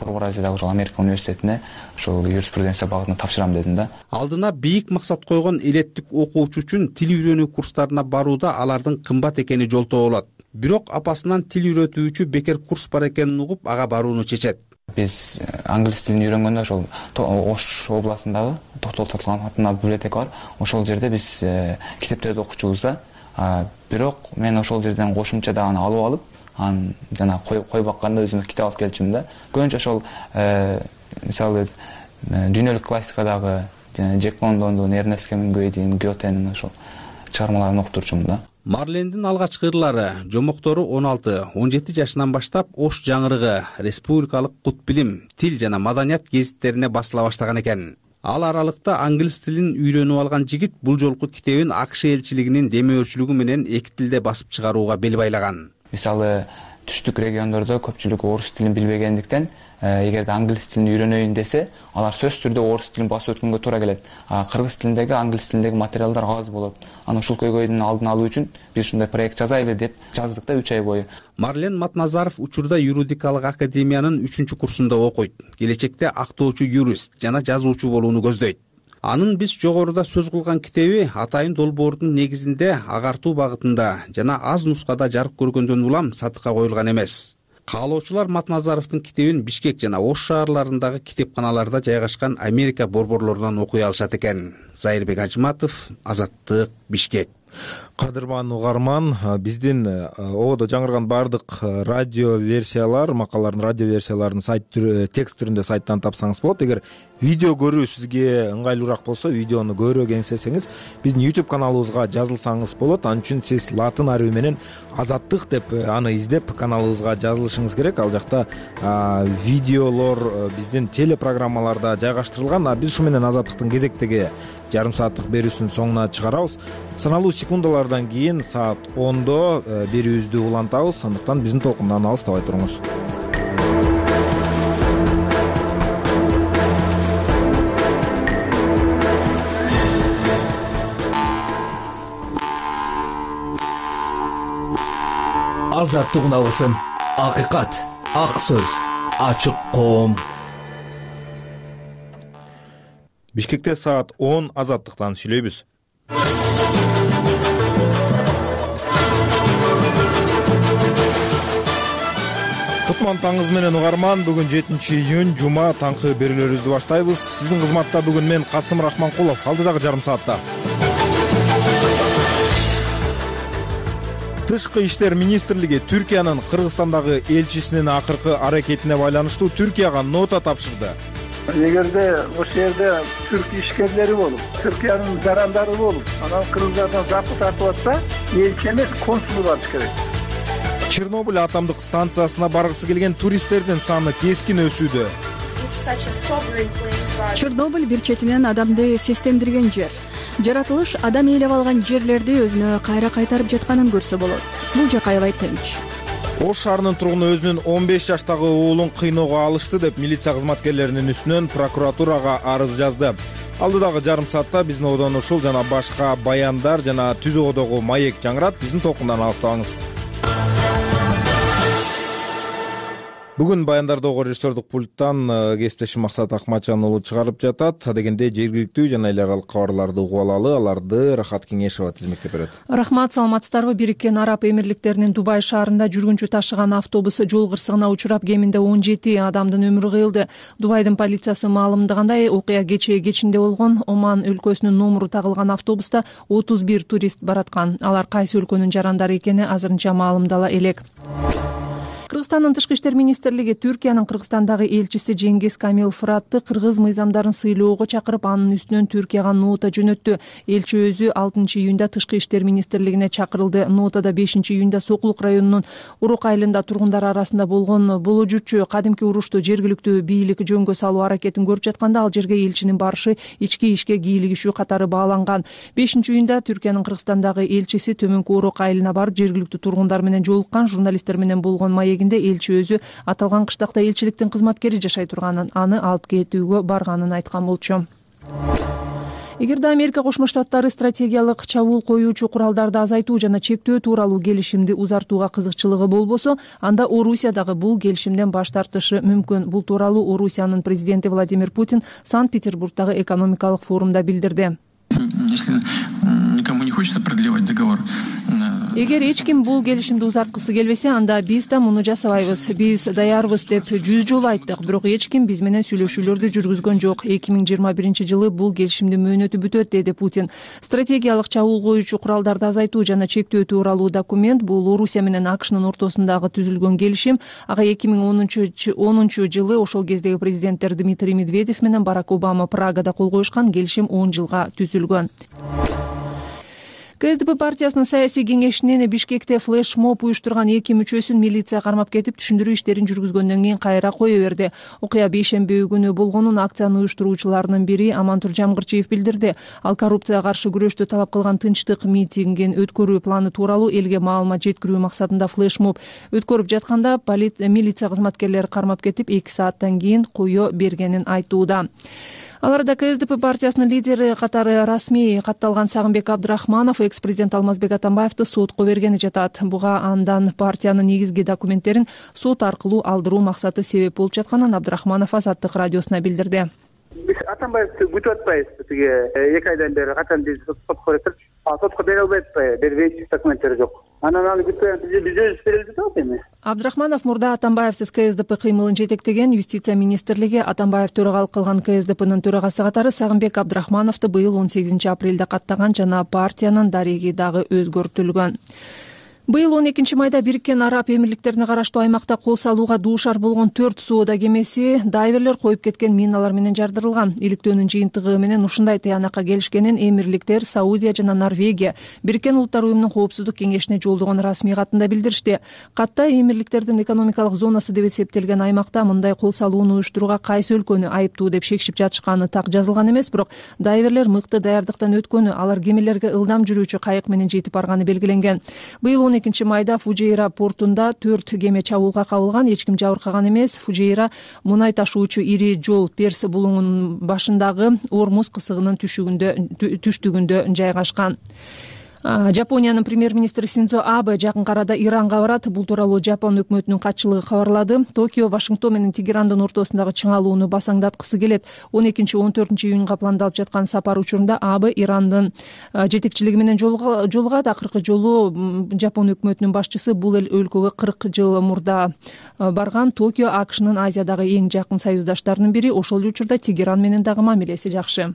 Орто Азиядагы ошол Америка университетине ошол юриспруденция багытына тапшырам дедим да. Алдына бийик максат койгон элеттик окуучу үчүн тил үйрөнүү курстарына барууда алардын кымбат экени жолтоо болот. Бирок апасынан тил үйрөтүүчү бекер курс бар экенин угуп, ага барууну чечет. Биз англис тилин үйрөнгөндө ошол Ош областындагы токтотулган атындагы библиотека бар. Ошол жерде биз китептерди окучубуз да. Бирок мен ошол жерден кошумча дагы алып алып, анан жана кой бакканда өзүмө китеп алып келчүмүн да. Көбүнчө ошол мисалы дүйнөлүк классикадагы Джек Лондондун, Эрнест Хемингуэйдин, Гетенин ошол чыгармаларын окуп турчумун да. Марлендин алгачкы ырлары, жомоктору 16-17 жашынан баштап Ош жаңырыгы, республикалык кут билим, тил жана маданият гезиттерине басыла баштаган экен. Ал аралыкта англис тилин үйрөнүп алган жигит бул жолку китебин АКШ элчилигинин демөөрчүлүгү менен эки тилде басып чыгарууга бел байлаган. Мисалы түштүк региондордо көпчүлүк орус тилин билбегендиктен, эгерде англис тилин үйрөнөйүн десе, алар сөзсүз түрдө орус тилин басып өткөнгө туура келет. Кыргыз тилиндеги, англис тилиндеги материалдар аз болот. Анан ушул көйгөйдүн алдын алуу үчүн биз ушундай проект жазайлы деп жаздык да 3 ай бою. Марлен Матназаров учурда юридикалык академиянын 3-курсунда окуйт. Келечекте актоочу юрист жана жазуучу болууну көздөйт. Анын биз жогоруда сөз кылган китеби атайын долбоордун негизинде агартуу багытында жана аз нускада жарык көргөндөн улам сатыкка коюлган эмес. Каалоочулар Матназаровдун китебин Бишкек жана Ош шаарларындагы китепканаларда жайгашкан Америка борборлорунан окуй алышат экен. Айырбек Ажматов, Азаттык. Бишкек. Кадырман угарман, биздин ободо жаңырган баардык радио версиялар, макалалардын радио версияларын текст түрүндө сайттан тапсаңыз болот. Эгер видео көрүү сизге ыңгайлуураак болсо, видеону көрүүгө эңсесеңиз, биздин YouTube каналыбызга жазылсаңыз болот. Ал үчүн сиз латын арабы менен Азаттык деп аны издеп каналыбызга жазылышыңыз керек. Ал жакта видеолор биздин телепрограммаларда жайгаштырылган. Биз ушу менен Азаттыктын кезектеги жарым сааттык берүүсүнүн соңуна чыгарабыз. Саналуу секундалардан кийин саат 10-до берүүбүздү улантабыз. Андыктан биздин толкундан алыстабай туруңуз. Азаттык уналысын. Акыйкат, ак сөз, ачык коом. Бишкекте саат 10 Азаттыктан сүйлөйбүз. Кутман таңыңыз менен угарман. Бүгүн 7-июнь жума, таңкы берүүлөрүбүздү баштайбыз. Сиздин кызматта бүгүн мен Касым Рахманкулов. Алдыдагы жарым саатта Тышкы иштер министрлиги Түркиянын Кыргызстандагы элчисинин акыркы аракетине байланыштуу Түркияга нота тапшырды. Эгерде ошол жерде түрк ишкерлери болуп, Түркиянын жарандары болуп, анан кыргыздардан запы тартып атса, элчи эмес, консул барыш керек. Чернобыль атомдук станциясына баргысы келген туристтердин саны кескин өсүүдө. Чернобыль бир четинен адамды сестендирген жер. Жаратылыш адам ээлеп алган жерлерди өзүнө кайра кайтарып жатканын көрсө болот. Бул жак аябай тынч. Ош шаарынын тургуну өзүнүн 15 жаштагы уулун кыйноого алышты деп милиция кызматкерлеринин үстүнөн прокуратурага арыз жазды. Алдыдагы жарым саатта биздин одон ушул жана башка баяндар жана түз оодогу маек жаңырат. Биздин толкундан алыстабаңыз. Бүгүн баяндарды режиссердук пульттан кесиптешим Максат Акматжан уулу чыгарып жатат. Дегенде жергиликтүү жана эл аралык кабарларды угуп алалы, аларды Рахат Кеңешова тизмектеп берет. Рахмат, саламатсыздарбы? Бириккен Араб Эмирликтеринин Дубай шаарында жүргүнчү ташыган автобус жол кырсыгына учурап, кеминде 17 адамдын өмүрү кыйылды. Дубайдын полициясы маалымдагандай, окуя кечинде болгон. Оман өлкөсүнүн номуру тагылган автобуста 31 турист бараткан. Алар кайсы өлкөнүн жарандары экени азырынча маалымдала элек. Кыргызстандын Тышкы иштер министрлиги Түркиянын Кыргызстандагы элчиси Жеңгиз Камил Фыратты кыргыз мыйзамдарын сыйлоого чакырып, анын үстүнөн Түркияга нота жөнөттү. Элчи өзү 6-июнда Тышкы иштер министрлигине чакырылды. Нотада 5-июнда Сокулук районунун Урук айылында тургундар арасында болгон болужучу кадимки урушту жергиликтүү бийлик жөнгө салуу аракетин көрүп жатканда, ал жерге элчинин барышы ички ишке кийлигишүү катары бааланган. 5-июнда Түркиянын Кыргызстандагы элчиси Төмөнкү Урук айылына барып, жергиликтүү тургундар менен жолуккан. Журналисттер менен болгон маегинде элчи өзү аталган кыштакта элчиликтин кызматкери жашай турганын, аны алып кетүүгө барганын айткан болчу. Эгерде Америка Кошмо Штаттары стратегиялык чабуул коюучу куралдарды азайтуу жана чектөө тууралуу келишимди узартууга кызыкчылыгы болбосо, анда Орусия дагы бул келишимден баш тартышы мүмкүн. Бул тууралуу Орусиянын президенти Владимир Путин Санкт-Петербургдагы экономикалык форумда билдирди. Если никому не хочется продлевать договор. Эгер эч ким бул келишимди узарткысы келбесе, анда биз да муну жасабайбыз. Биз даярбыз деп 100 жолу айттык, бирок эч ким биз менен сүйлөшүүлөрдү жүргүзгөн жок. 2021-жылы бул келишимдин мөөнөтү бүтөт, деди Путин. Стратегиялык чабуул коюучу куралдарды азайтуу жана чектөө тууралуу документ бул Орусия менен АКШнын ортосундагы түзүлгөн келишим. Ага 2010-жылы ошол кездеги президенттер Дмитрий Медведев менен Барак Обама Прагада кол коюшкан. Келишим 10 жылга түзүлгөн. КСДП партиясынын саясий кеңешинин Бишкекте флешмоб уюштурган 2 мүчөсүн милиция кармап кетип, түшүндүрүү иштерин жүргүзгөндөн кийин кайра кое берди. Окуя бейшемби күнү болгонун акциянын уюштуруучуларынын бири Амантур Жамгырчиев билдирди. Ал коррупцияга каршы күрөштү талап кылган тынчтык митингин өткөрүү планы тууралуу элге маалымат жеткирүү максатында флешмоб өткөрүп жатканда милиция кызматкерлери кармап кетип, 2 сааттан кийин кое бергенин айтууда. Аларда КСДП партиясынын лидери катары расмий катталган Сагынбек Абдрахманов экс-президент Алмазбек Атамбаевди сотко бергени жатат. Буга андан партиянын негизги документтерин сот аркылуу алдыруу максаты себеп болуп жатканын Абдрахманов Азаттык радиосуна билдирди. Биз Атамбаевди күтүп атпайбыз. Тиги 2 айдан бери качан биз сотко баратырчы. Сотко бере албайт атпайбы? Бербейт, документтери жок. Анан аны күтпөй биз өзүбүз беребиз деп атат эми. Абдрахманов мурда Атамбаевсиз КСДП кыймылын жетектеген Юстиция министрлиги Атамбаев төрагалык кылган КСДПнын төрагасы катары Сагынбек Абдрахмановду быйыл 18 апрелде каттаган жана партиянын дареги дагы өзгөртүлгөн. Быйыл 12 майда Бириккен Араб Эмирликтерине караштуу аймакта кол салууга дуушар болгон 4 соода кемеси дайверлер коюп кеткен миналар менен жардырылган. Иликтөөнүн жыйынтыгы менен ушундай тыянакка келишкенин Эмирликтер, Саудия жана Норвегия Бириккен Улуттар уюмунун коопсуздук кеңешине жолдогон расмий катында билдиришти. Катта Эмирликтердин экономикалык зонасы деп эсептелген аймакта мындай кол салууну уюштурууга кайсы өлкөнү айыптуу деп шекшип жатышканы так жазылган эмес, бирок дайверлер мыкты даярдыктан өткөнү, алар кемелерге ылдам жүрүүчү кайык менен жетип барганы белгиленген. Быйыл 12 майда Фужейра портунда 4 кеме чабуулга кабылган, эч ким жабыркаган эмес. Фужейра мунай ташуучу ири жол Перс булуңунун башындагы Ормуз кысыгынын түштүгүндө жайгашкан. Жапониянын премьер-министри Синдзо Абе жакын арада Иранга барат. Бул тууралуу Жапон өкмөтүнүн катчылыгы кабарлады. Токио Вашингтон менен Тегерандын ортосундагы чыңалууну басаңдаткысы келет. 12-14 июнга пландалып жаткан сапар учурунда Абе Ирандын жетекчилиги менен жолугат. Акыркы жолу Жапон өкмөтүнүн башчысы бул эл өлкөгө 40 жыл мурда барган. Токио АКШнын Азиядагы эң жакын союздаштарынын бири. Ошол эле учурда Тегеран менен дагы мамилеси жакшы.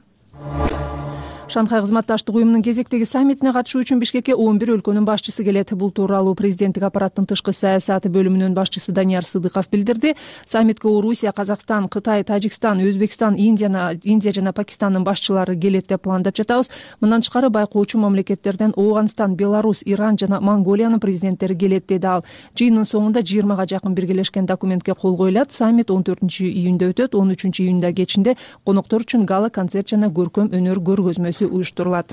Шанхай кызматташтык уюмунун кезектеги саммитине катышуу үчүн Бишкекке 11 өлкөнүн башчысы келет. Бул тууралуу президенттик аппараттын тышкы саясаты бөлүмүнүн башчысы Данияр Сыдыков билдирди. Саммитке Орусия, Казакстан, Кытай, Тажикстан, Өзбекстан, Индия жана Пакистандын башчылары келет деп пландап жатабыз. Мындан тышкары байкоочу мамлекеттерден Ооганстан, Беларусь, Иран жана Монголиянын президенттери келет деди ал. Жыйындын соңунда 20га жакын биргелешкен документке кол коюлат. Саммит 14 июнда өтөт. 13 июнда кечинде коноктор үчүн гала концерт жана көркөм өнөр көргөзмөсү уюштурулат.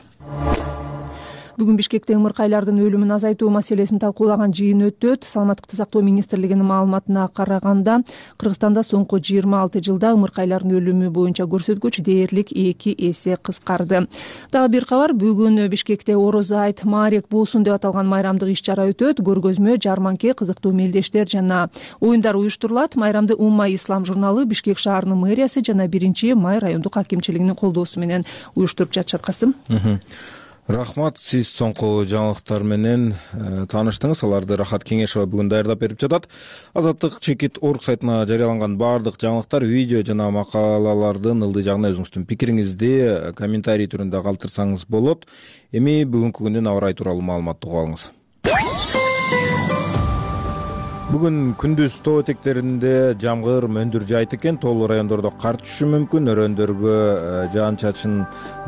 Бүгүн Бишкекте ымыркайлардын өлүмүн азайтуу маселесин талкуулаган жыйын өтөт. Саламаттыкты сактоо министрлигинин маалыматына караганда, Кыргызстанда соңку 26 жылда ымыркайлардын өлүмү боюнча көрсөткүч дээрлик 2 эсе кыскарды. Дагы бир кабар, бүгүн Бишкекте Орозо айт Маарек болсун деп аталган майрамдык иш-чара өтөт. Көргөзмө, жарманке, кызыктуу мелдештер жана оюндар уюштурулат. Майрамды Умма Ислам журналы, Бишкек шаарынын мэриясы жана 1-май райондук акимчилигинин колдоосу менен уюштуруп жатышат. Касым. Рахмат, сиз соңку жаңылыктар менен тааныштыңыз. Аларды Рахат Кеңешова бүгүн даярдап берип жатат. Азаттык.org сайтына жарыяланган баардык жаңылыктар, видео жана макалалардын ылдый жагына өзүңүздүн пикириңизди комментарий түрүндө калтырсаңыз болот. Эми бүгүнкү күндүн аба ырайы тууралуу маалыматты угуп алыңыз. Бүгүн күндүз тоо этектеринде жамгыр, мөндүр жаайт экен. Тоолуу райондордо кар түшүшү мүмкүн. Өрөөндөргө жаан-чачын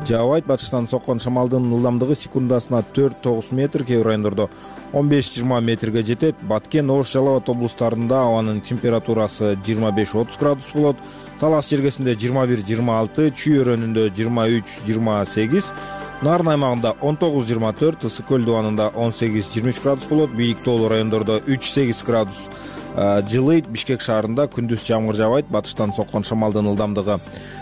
жаабайт. Батыштан соккон шамалдын ылдамдыгы секундасына 4-9 метр, кээ бир райондордо 15-20 метрге жетет. Баткен, Ош, Жалал Абад облустарында абанын температурасы 25-30 градус болот. Талас жергесинде 21-26, Чүй өрөөнүндө 23-28, Нарын аймагында 19-24, Ысык көл дубанында 18-23 градус болот. Бийик тоолуу райондордо 3-8 градус жылыйт. Бишкек шаарында күндүз жамгыр жаабайт. Батыштан соккон шамалдын ылдамдыгы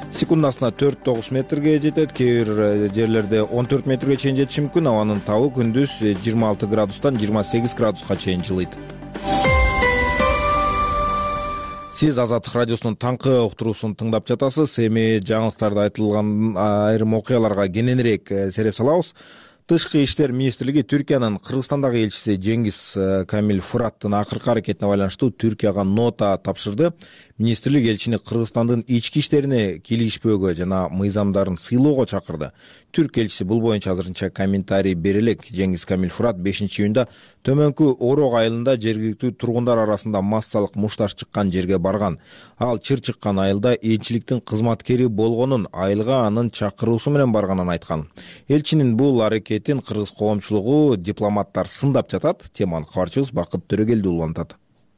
секундасына 4-9 метрге жетет. Кээ бир жерлерде 14 метрге чейин жетиши мүмкүн. Абанын табы күндүз 26 градустан 28 градуска чейин жылыйт. Сиз Азаттык радиосунун таңкы уктуруусун тыңдап жатасыз. Эми жаңылыктарда айтылган айрым окуяларга кененирээк сереп салабыз. Тышкы иштер министрлиги Түркиянын Кыргызстандагы элчиси Жеңгиз Камил Фыраттын акыркы аракетине байланыштуу Түркияга нота тапшырды. Министрлик элчини Кыргызстандын ички иштерине кийлигишпөөгө жана мыйзамдарын сыйлоого чакырды. Түрк элчиси бул боюнча азырынча комментарий бере элек. Жеңгиз Камил Фырат 5-июнда төмөнкү Орок айылында жергиликтүү тургундар арасында массалык мушташ чыккан жерге барган. Ал чыр чыккан айылда элчиликтин кызматкери болгонун, айылга анын чакыруусу менен барганын айткан. Элчинин бул аракетин кыргыз коомчулугу, дипломаттар сындап жатат. Теманы кабарчыбыз Бакыт Төрөгелди улантат.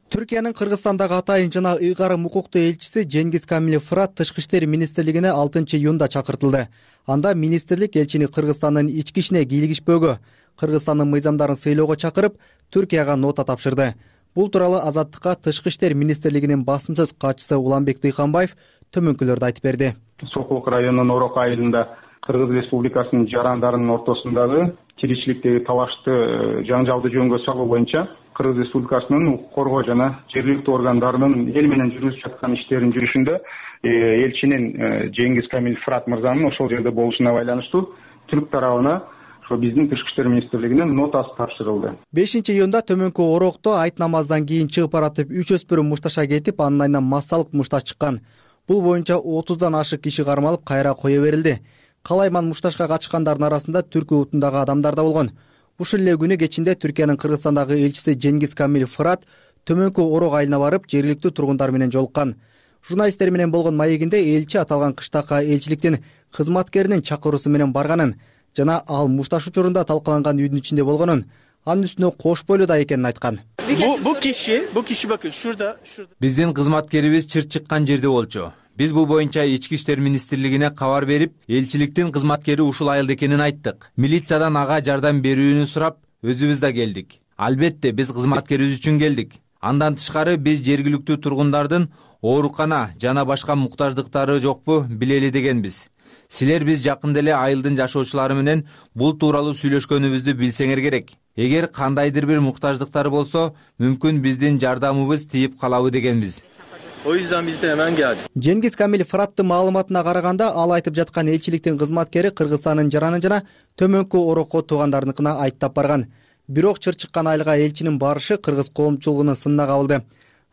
Түркиянын Кыргызстандагы атайын жана ыйгарым укуктуу элчиси Жеңгиз Камил Фырат Тышкы иштер министрлигине 6-июнда чакыртылды. Анда министрлик элчини Кыргызстандын ички ишине кийлигишпөөгө, Кыргызстандын мыйзамдарын сыйлоого чакырып, Түркияга нота тапшырды. Бул тууралуу Азаттыкка Тышкы иштер министрлигинин басым сөз катчысы Уланбек Дыйканбаев төмөнкүлөрдү айтып берди. Сокулук районунун Орок айылында Кыргыз Республикасынын жарандарынын ортосундагы тиричиликтеги талашты жаңжалды жөнгө салуу боюнча Кыргыз Республикасынын укук коргоо жана жергиликтүү органдарынын эл менен жүргүзүп жаткан иштеринин жүрүшүндө элчинин Жеңгиз Камил Фырат мырзанын ошол жерде болушуна байланыштуу түрк тарабына биздин Тышкы иштер министрлигинин нотасы тапшырылды. 5-июнда Төмөнкү Орокто айт намаздан кийин чыгып баратып 3 өспүрүм мушташа кетип, анын айынан массалык мушташ чыккан. Бул боюнча 30дан ашык киши кармалып, кайра кое берилди. Калайман мушташка катышкандардын арасында түрк улутундагы адамдар да болгон. Ушул эле күнү кечинде Түркиянын Кыргызстандагы элчиси Жеңгиз Камил Фырат Төмөнкү Орок айылына барып, жергиликтүү тургундар менен жолуккан. Журналисттер менен болгон маегинде элчи аталган кыштакка элчиликтин кызматкеринин чакыруусу менен барганын жана ал мушташ учурунда талкаланган үйдүн ичинде болгонун, анын үстүнө кош бойлуу да экенин айткан. Бул киши бакын шурда. Биздин кызматкерибиз чырт чыккан жерде болчу. Биз бул боюнча Ички иштер министрлигине кабар берип, элчиликтин кызматкери ушул айылда экенин айттык. Милициядан ага жардам берүүнү сурап, өзүбүз да келдик. Албетте, биз кызматкерибиз үчүн келдик. Андан тышкары биз жергиликтүү тургундардын оорукана жана башка муктаждыктары жокпу билели дегенбиз. Силер биз жакында эле айылдын жашоочулары менен бул тууралуу сүйлөшкөнүбүздү билсеңер керек. Эгер кандайдыр бир муктаждыктары болсо, мүмкүн биздин жардамыбыз тийип калабы дегенбиз. O yüzden biz de hemen geldik. Жеңгиз Камил Фыраттын маалыматына караганда, ал айтып жаткан элчиликтин кызматкери Кыргызстандын жараны жана Төмөнкү Орокко туугандарыныкына айттап барган. Бирок чыр чыккан айылга элчинин барышы кыргыз коомчулугунун сынына кабылды.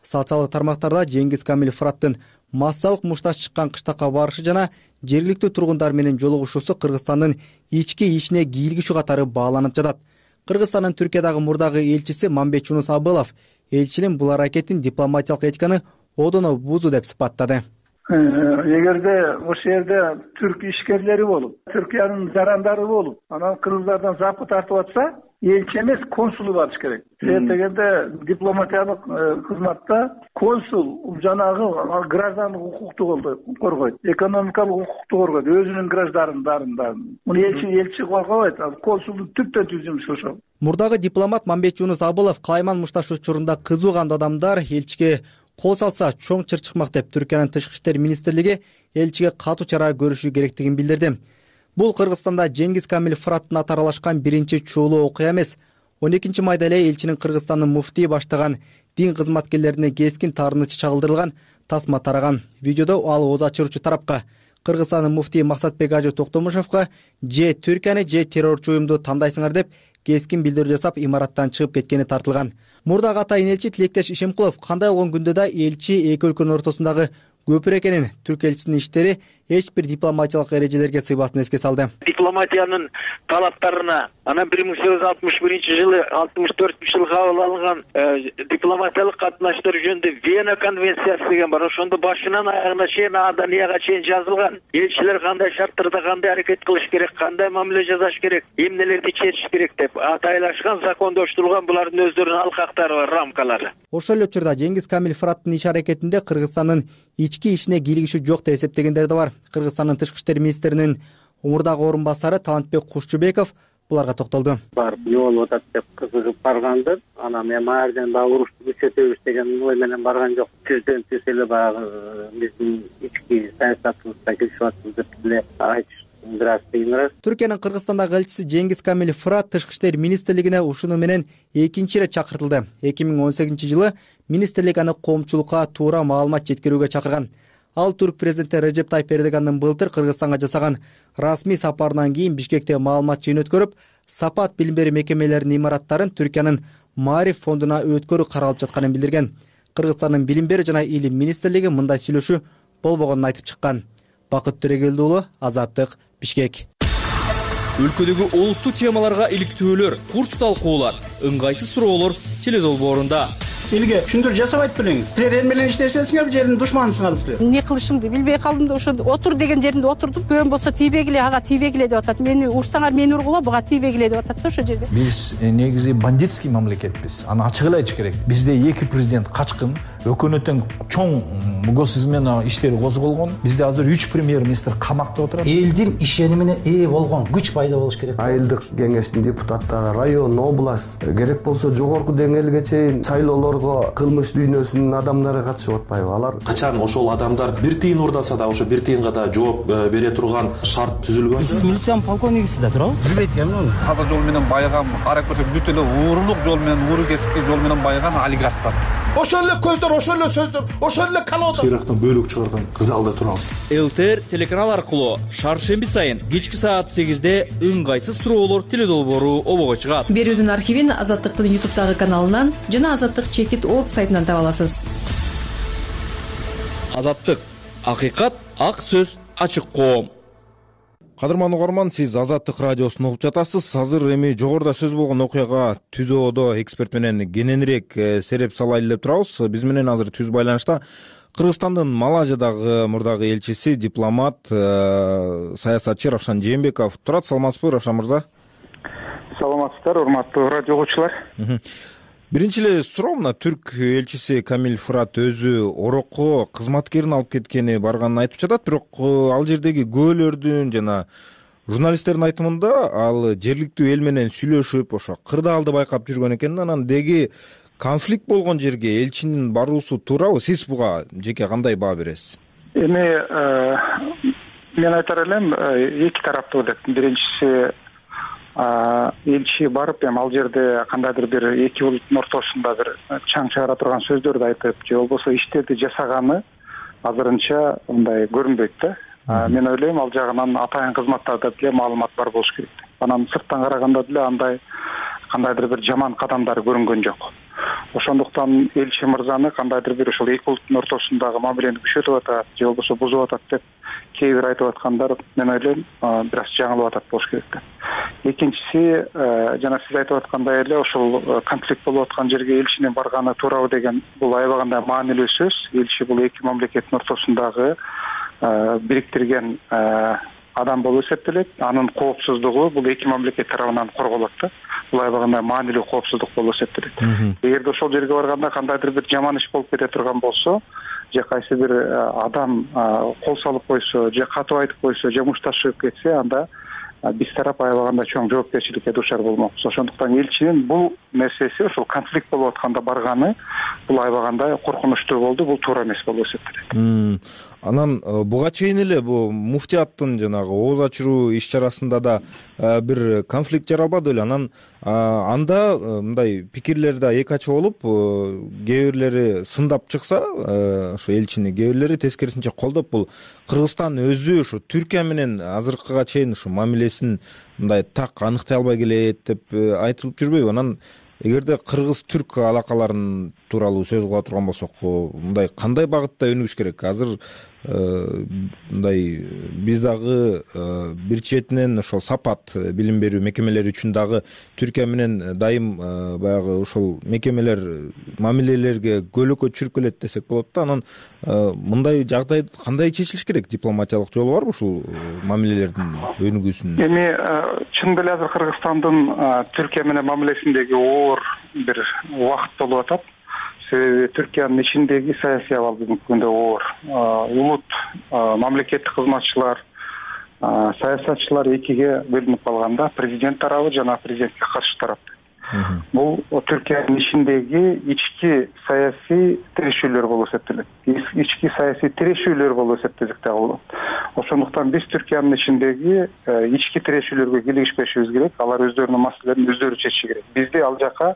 Социалдык тармактарда Жеңгиз Камил Фыраттын массалык мушташ чыккан кыштакка барышы жана жергиликтүү тургундар менен жолугушуусу Кыргызстандын ички ишине кийлигишүү катары бааланып жатат. Кыргызстандын Түркиядагы мурдагы элчиси Мамбет Жунус Абылов элчинин бул аракетин дипломатиялык этиканы одоно бузуу деп сыпаттады. Эгерде ошол жерде түрк ишкерлери болуп, Түркиянын жарандары болуп, анан кыргыздардан запы тартып атса, элчи эмес, консулу барыш керек. Себеп дегенде дипломатиялык кызматта консул жанагы граждандык укукту коргойт, экономикалык укукту коргойт, өзүнүн граждандарын. Муну элчи коргобойт, консулдун түптөн түз жумушу ошол. Мурдагы дипломат Мамбет Жунус Абылов калайман мушташ учурунда кызууган адамдар элчиге кол салса чоң чыр чыкмак деп Түркиянын Тышкы иштер министрлиги элчиге катуу чара көрүшү керектигин билдирди. Бул Кыргызстанда Жеңгиз Камил Фыраттын аты аралашкан биринчи чуулуу окуя эмес. 12 майда эле элчинин Кыргызстандын муфтии баштаган дин кызматкерлерине кескин таарынычы чагылдырылган тасма тараган. Видеодо ал ооз ачыруучу тарапка, Кыргызстандын муфтии Максатбек Ажы Токтомушевго же Түркияны же террорчу уюмду тандайсыңар деп кескин билдирүү жасап имараттан чыгып кеткени тартылган. Мурдагы атайын элчи Тилектеш Ишемкулов кандай болгон күндө да элчи эки өлкөнүн ортосундагы көпүр экенин, түрк элчисинин иштери эч бир дипломатиялык эрежелерге сыйбасын эске салды. Дипломатиянын талаптарына анан 1861-жылы 64-жылы кабыл алынган дипломатиялык катнаштар жөнүндө Вена конвенциясы деген бар. Ошондо башынан аягына чейин Аданияга чейин жазылган. Элчилер кандай шарттарда кандай аракет кылыш керек, кандай мамиле жасаш керек, эмнелерди чечиш керек деп атайлашкан, закондоштурулган булардын өздөрүнүн алкактары бар, рамкалары. Ошол эле учурда Жеңгиз Камил Фыраттын иш аракетинде Кыргызстандын ички ишине кийлигишүү жок деп эсептегендер да бар. Кыргызстандын Тышкы иштер министринин мурдагы орун басары Талантбек Кушчубеков буларга токтолду. Барып жолуп атат деп кызыгып баргандыр. Анан мен маярден баягы урушту күчөтөбүз деген ой менен барган жок. Түздөн түз эле баягы биздин ички саясатыбызда келишип атабыз деп эле айтыш. Түркиянын Кыргызстандагы элчиси Жеңгиз Камил Фырат Тышкы иштер министрлигине ушуну менен экинчи ирет чакыртылды. 2018-жылы министрлик аны коомчулукка туура маалымат жеткирүүгө чакырган. Ал түрк президенти Режеп Тайып Эрдогандын былтыр Кыргызстанга жасаган расмий сапарынан кийин Бишкекте маалымат жыйын өткөрүп, Сапат билим берүү мекемелеринин имараттарын Түркиянын Маариф фондуна өткөрүү каралып жатканын билдирген. Кыргызстандын билим берүү жана илим министрлиги мындай сүйлөшүү болбогонун айтып чыккан. Бакыт Төрөгелди уулу, Азаттык, Бишкек. Өлкөдөгү олуттуу темаларга иликтөөлөр, курч талкуулар, ыңгайсыз суроолор теледолбоорунда. Элге түшүндүрүү жасабайт белеңиз. Силер эл менен иштешесиңер, жердин душманысыңар силер. Эмне кылышымды билбей калдым да ошо отур деген жеринде отурдум. Көөм болсо тийбегиле, ага тийбегиле деп атат. Мени урсаңар мени ургула, буга тийбегиле деп атат да ошо жерде. Биз негизи бандитский мамлекетпиз. Аны ачык эле айтыш керек. Бизде эки президент качкын, өкмөттүн чоң госизмен иштери козголгон. Бизде азыр 3 премьер-министр камакта отурат. Элдин ишенимине ээ болгон күч пайда болуш керек. Айылдык кеңештин депутаттары, район, область, керек болсо жогорку деңгээлге чейин шайлоолорго кылмыш дүйнөсүнүн адамдары катышып атпайбы? Алар качан ошол адамдар бир тыйын урдаса да ошо бир тыйынга да жооп бере турган шарт түзүлгөн. Сиз милициянын полковнигисиз да туурабы? Билбейт экенмин. Таза жол менен байыган, карап көрсөк бүт эле уурулук жол менен, ууру кесипки жол менен байыган олигархтар. Ошол эле көздөр, ошол эле сөздөр, ошол эле калоодо. Ирактан бөлүк чыгарган кырдаалда турабыз. ЛТР телеканал аркылуу шаршемби сайын кечки саат 8-де ыңгайсыз суроолор теле долбоору обого чыгат. Берүүдүн архивин Азаттыктын YouTube'дагы каналынан жана Азаттык.org сайтынан таба аласыз. Азаттык, акыйкат, ак сөз, ачык коом. Кадырман угарман, сиз Азаттык радиосун угуп жатасыз. Азыр эми жогоруда сөз болгон окуяга ТүЗОдо эксперт менен кененирээк сереп салайлы деп турабыз. Биз менен азыр түз байланышта Кыргызстандын Малайзиядагы мурдагы элчиси, дипломат, саясатчы Равшан Жээнбеков турат. Саламатсызбы, Равшан мырза? Саламатсыздар, урматтуу радио угуучулар. Биринчи эле суроо, мына түрк элчиси Камил Фырат өзү орокко кызматкерин алып кеткени барганын айтып жатат, бирок ал жердеги күбөлөрдүн жана журналисттердин айтымында ал жергиликтүү эл менен сүйлөшүп, ошо кырдаалды байкап жүргөн экен. Анан деги конфликт болгон жерге элчинин баруусу туурабы? Сиз буга жеке кандай баа бересиз? Эми мен айтар элем, эки тараптуу деп. Биринчиси элчи барып, эми ал жерде кандайдыр бир эки улуттун ортосунда бир чаң чыгара турган сөздөрдү айтып, же болбосо иштерди жасаганы азырынча мындай көрүнбөйт да. Мен ойлойм, ал жагынан атайын кызматтарда деле маалымат бар болуш керек. Анан сырттан караганда деле андай кандайдыр бир жаман кадамдар көрүнгөн жок. Ошондуктан элчи мырзаны кандайдыр бир ошол эки улуттун ортосундагы мамилени күчөтүп атат, же болбосо бузуп атат деп кээ бир айтып аткандар, мен ойлойм, бир аз жаңылып атат болуш керек да. Экинчиси, жана сиз айтып аткандай эле ошол конфликт болуп аткан жерге элчинин барганы туурабы деген бул аябагандай маанилүү сөз. Элчи бул эки мамлекеттин ортосундагы бириктирген адам болуп эсептелет. Анын коопсуздугу бул эки мамлекет тарабынан корголот да. Бул аябагандай маанилүү коопсуздук болуп эсептелет. Эгерде ошол жерге барганда кандайдыр бир жаман иш болуп кете турган болсо, же кайсы бир адам кол салып койсо, же катып айтып койсо, же мушташып кетсе, анда биз тарап аябагандай чоң жоопкерчиликке дуушар болмокпуз. Ошондуктан элчинин бул нерсеси, ошол конфликт болуп атканда барганы, бул аябагандай коркунучтуу болду, бул туура эмес болуп эсептелет. Анан буга чейин эле бул муфтияттын жанагы ооз ачыруу иш чарасында да бир конфликт жаралбады беле? Анан анда мындай пикирлер да эки ача болуп, кээ бирлери сындап чыкса, ошо элчини кээ бирлери тескерисинче колдоп, бул Кыргызстан өзү ушу Түркия менен азыркыга чейин ушу мамилесин мындай так аныктай албай келет деп айтылып жүрбөйбү? Анан эгерде кыргыз-түрк алакаларын тууралуу сөз кыла турган болсок, мындай кандай багытта өнүгүш керек? Азыр мындай биз дагы бир четинен ошол сапат билим берүү мекемелери үчүн дагы Түркия менен дайым баягы ошол мекемелер мамилелерге көлөкө түшүрүп келет десек болот да. Анан мындай жагдай кандай чечилиш керек? Дипломатиялык жолу барбы ушул мамилелердин өнүгүүсүнүн? Эми чын эле азыр Кыргызстандын Түркия менен мамилесиндеги оор бир убакыт болуп атат. Себеби Түркиянын ичиндеги саясий абал бүгүнкү күндө оор. Улут, мамлекеттик кызматчылар, саясатчылар экиге бөлүнүп калганда, президент тарабы жана президентке каршы тарап. Бул Түркиянын ичиндеги ички саясий тирешүүлөр болуп эсептелет. Ички саясий тирешүүлөр болуп эсептесек дагы болот. Ошондуктан биз Түркиянын ичиндеги ички тирешүүлөргө кийлигишпешибиз керек. Алар өздөрүнүн маселелерин өздөрү чечиши керек. Бизди ал жака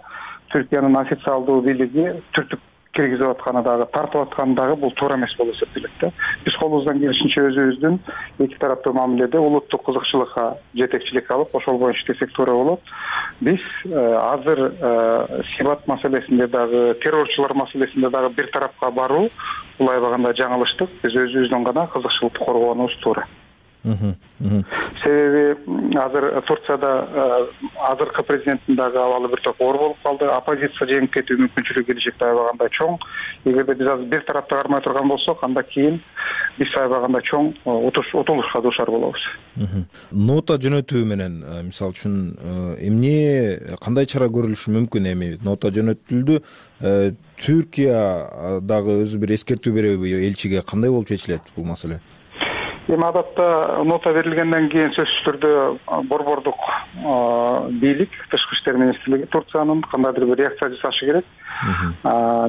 Түркиянын официалдуу бийлиги түртүп киргизип атканы дагы, тартып атканы дагы бул туура эмес болуп эсептелет да. Биз колубуздан келишинче өзүбүздүн эки тараптуу мамиледе улуттук кызыкчылыкка жетекчилик алып, ошол боюнча иштесек туура болот. Биз азыр Сибат маселесинде дагы, террорчулар маселесинде дагы бир тарапка баруу бул аябагандай жаңылыштык. Биз өзүбүздүн гана кызыкчылыкты коргоонубуз туура. Себеби азыр Турцияда азыркы президенттин дагы абалы бир топ оор болуп калды. Оппозиция жеңип кетүү мүмкүнчүлүгү келечекте аябагандай чоң. Эгерде биз азыр бир тарапты кармай турган болсок, анда кийин биз аябагандай чоң утулушка дуушар болобуз. Нота жөнөтүү менен мисалы үчүн эмне кандай чара көрүлүшү мүмкүн? Эми нота жөнөтүлдү. Түркия дагы өзү бир эскертүү береби элчиге, кандай болуп чечилет бул маселе? Эми адатта нота берилгенден кийин сөзсүз түрдө борбордук бийлик, Тышкы иштер министрлиги Турциянын кандайдыр бир реакция жасашы керек.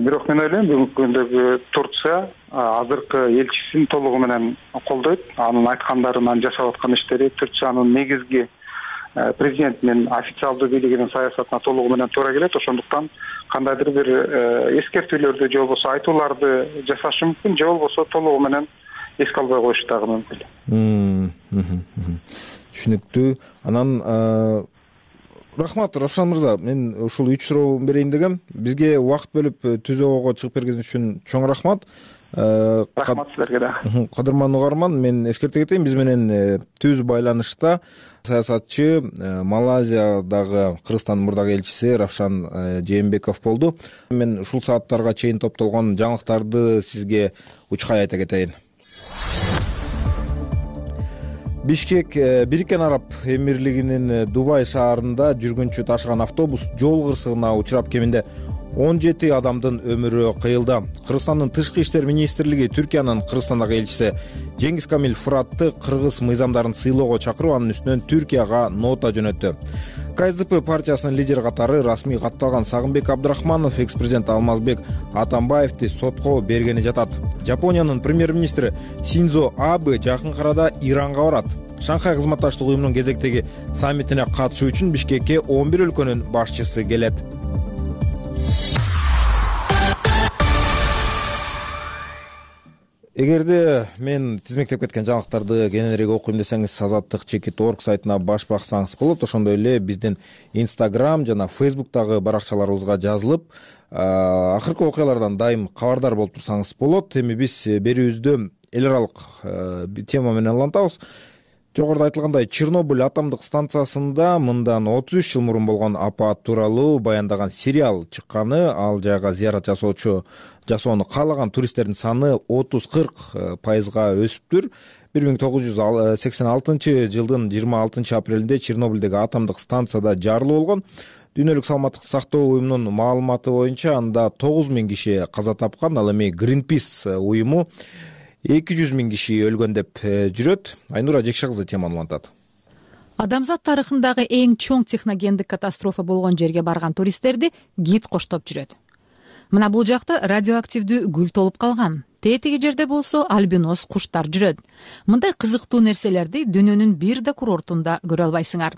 Бирок мен ойлойм, бүгүнкү күндөгү Турция азыркы элчисин толугу менен колдойт. Анын айткандарын, анын жасап аткан иштери Турциянын негизги президентинин официалдуу бийлигинин саясатына толугу менен туура келет. Ошондуктан кандайдыр бир эскертүүлөрдү же болбосо айтууларды жасашы мүмкүн, же болбосо толугу менен эске албай коюшу дагы мүмкүн. Түшүнүктүү. Анан рахмат Равшан мырза, мен ушул 3 суроо берейин дегем. Бизге убакыт бөлүп түзөөгө чыгып бергениңиз үчүн чоң рахмат. Рахмат силерге да. Кадырман угарман, мен эскерте кетейин, биз менен түз байланышта саясатчы, Малайзиядагы Кыргызстандын мурдагы элчиси Равшан Жээнбеков болду. Мен ушул сааттарга чейин топтолгон жаңылыктарды сизге учкай айта кетейин. Бишкек Бириккен Араб Эмирлигинин Дубай шаарында жүргүнчү ташыган автобус жол кырсыгына учурап кеминде 17 адамдын өмүрү кыйылды. Кыргызстандын Тышкы иштер министрлиги Түркиянын Кыргызстандагы элчиси Жеңгиз Камил Фыратты кыргыз мыйзамдарын сыйлоого чакырып, анын үстүнөн Түркияга нота жөнөттү. КСДП партиясынын лидери катары расмий катталган Сагынбек Абдрахманов экс-президент Алмазбек Атамбаевди сотко бергени жатат. Жапониянын премьер-министри Синдзо Абе жакын арада Иранга барат. Шанхай кызматташтык уюмунун кезектеги саммитине катышуу үчүн Бишкекке 11 өлкөнүн башчысы келет. Эгерде мен тизмектеп кеткен жаңылыктарды кененирээк окуйм десеңиз, azattik.org сайтына баш баксаңыз болот. Ошондой эле биздин Instagram жана Facebook'тагы баракчаларыбызга жазылып, акыркы окуялардан дайым кабардар болуп турсаңыз болот. Эми биз берүүбүздө эл аралык тема менен улантабыз. Жогоруда айтылгандай, Чернобыль атомдук станциясында мындан 33 жыл мурун болгон апат тууралуу баяндаган сериал чыкканы, ал жайга зыярат жасоону каалаган туристтердин саны 30-40% өсүптүр. 1986 жылдын 26 апрелинде Чернобыльдеги атомдук станцияда жарылуу болгон. Дүйнөлүк саламаттыкты сактоо уюмунун маалыматы боюнча анда 9000 киши каза тапкан. Ал эми Greenpeace уюму 200 000 киши өлгөн деп жүрөт. Айнура Жекше кызы теманы улантат. Адамзат тарыхындагы эң чоң техногендик катастрофа болгон жерге барган туристтерди гид коштоп жүрөт. Мына бул жакта радиоактивдүү гүл толуп калган. Тетиги жерде болсо альбинос куштар жүрөт. Мындай кызыктуу нерселерди дүйнөнүн бир да курортунда көрө албайсыңар.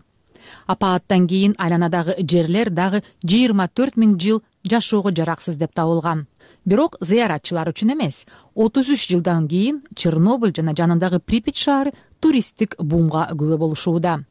Апааттан кийин айланадагы жерлер дагы 24 000 жыл жашоого жараксыз деп табылган. Бирок зыяратчылар үчүн эмес, 33 жылдан кийин Чернобыль жана жанындагы Припять шаары туристтик бумга күбө болушууда.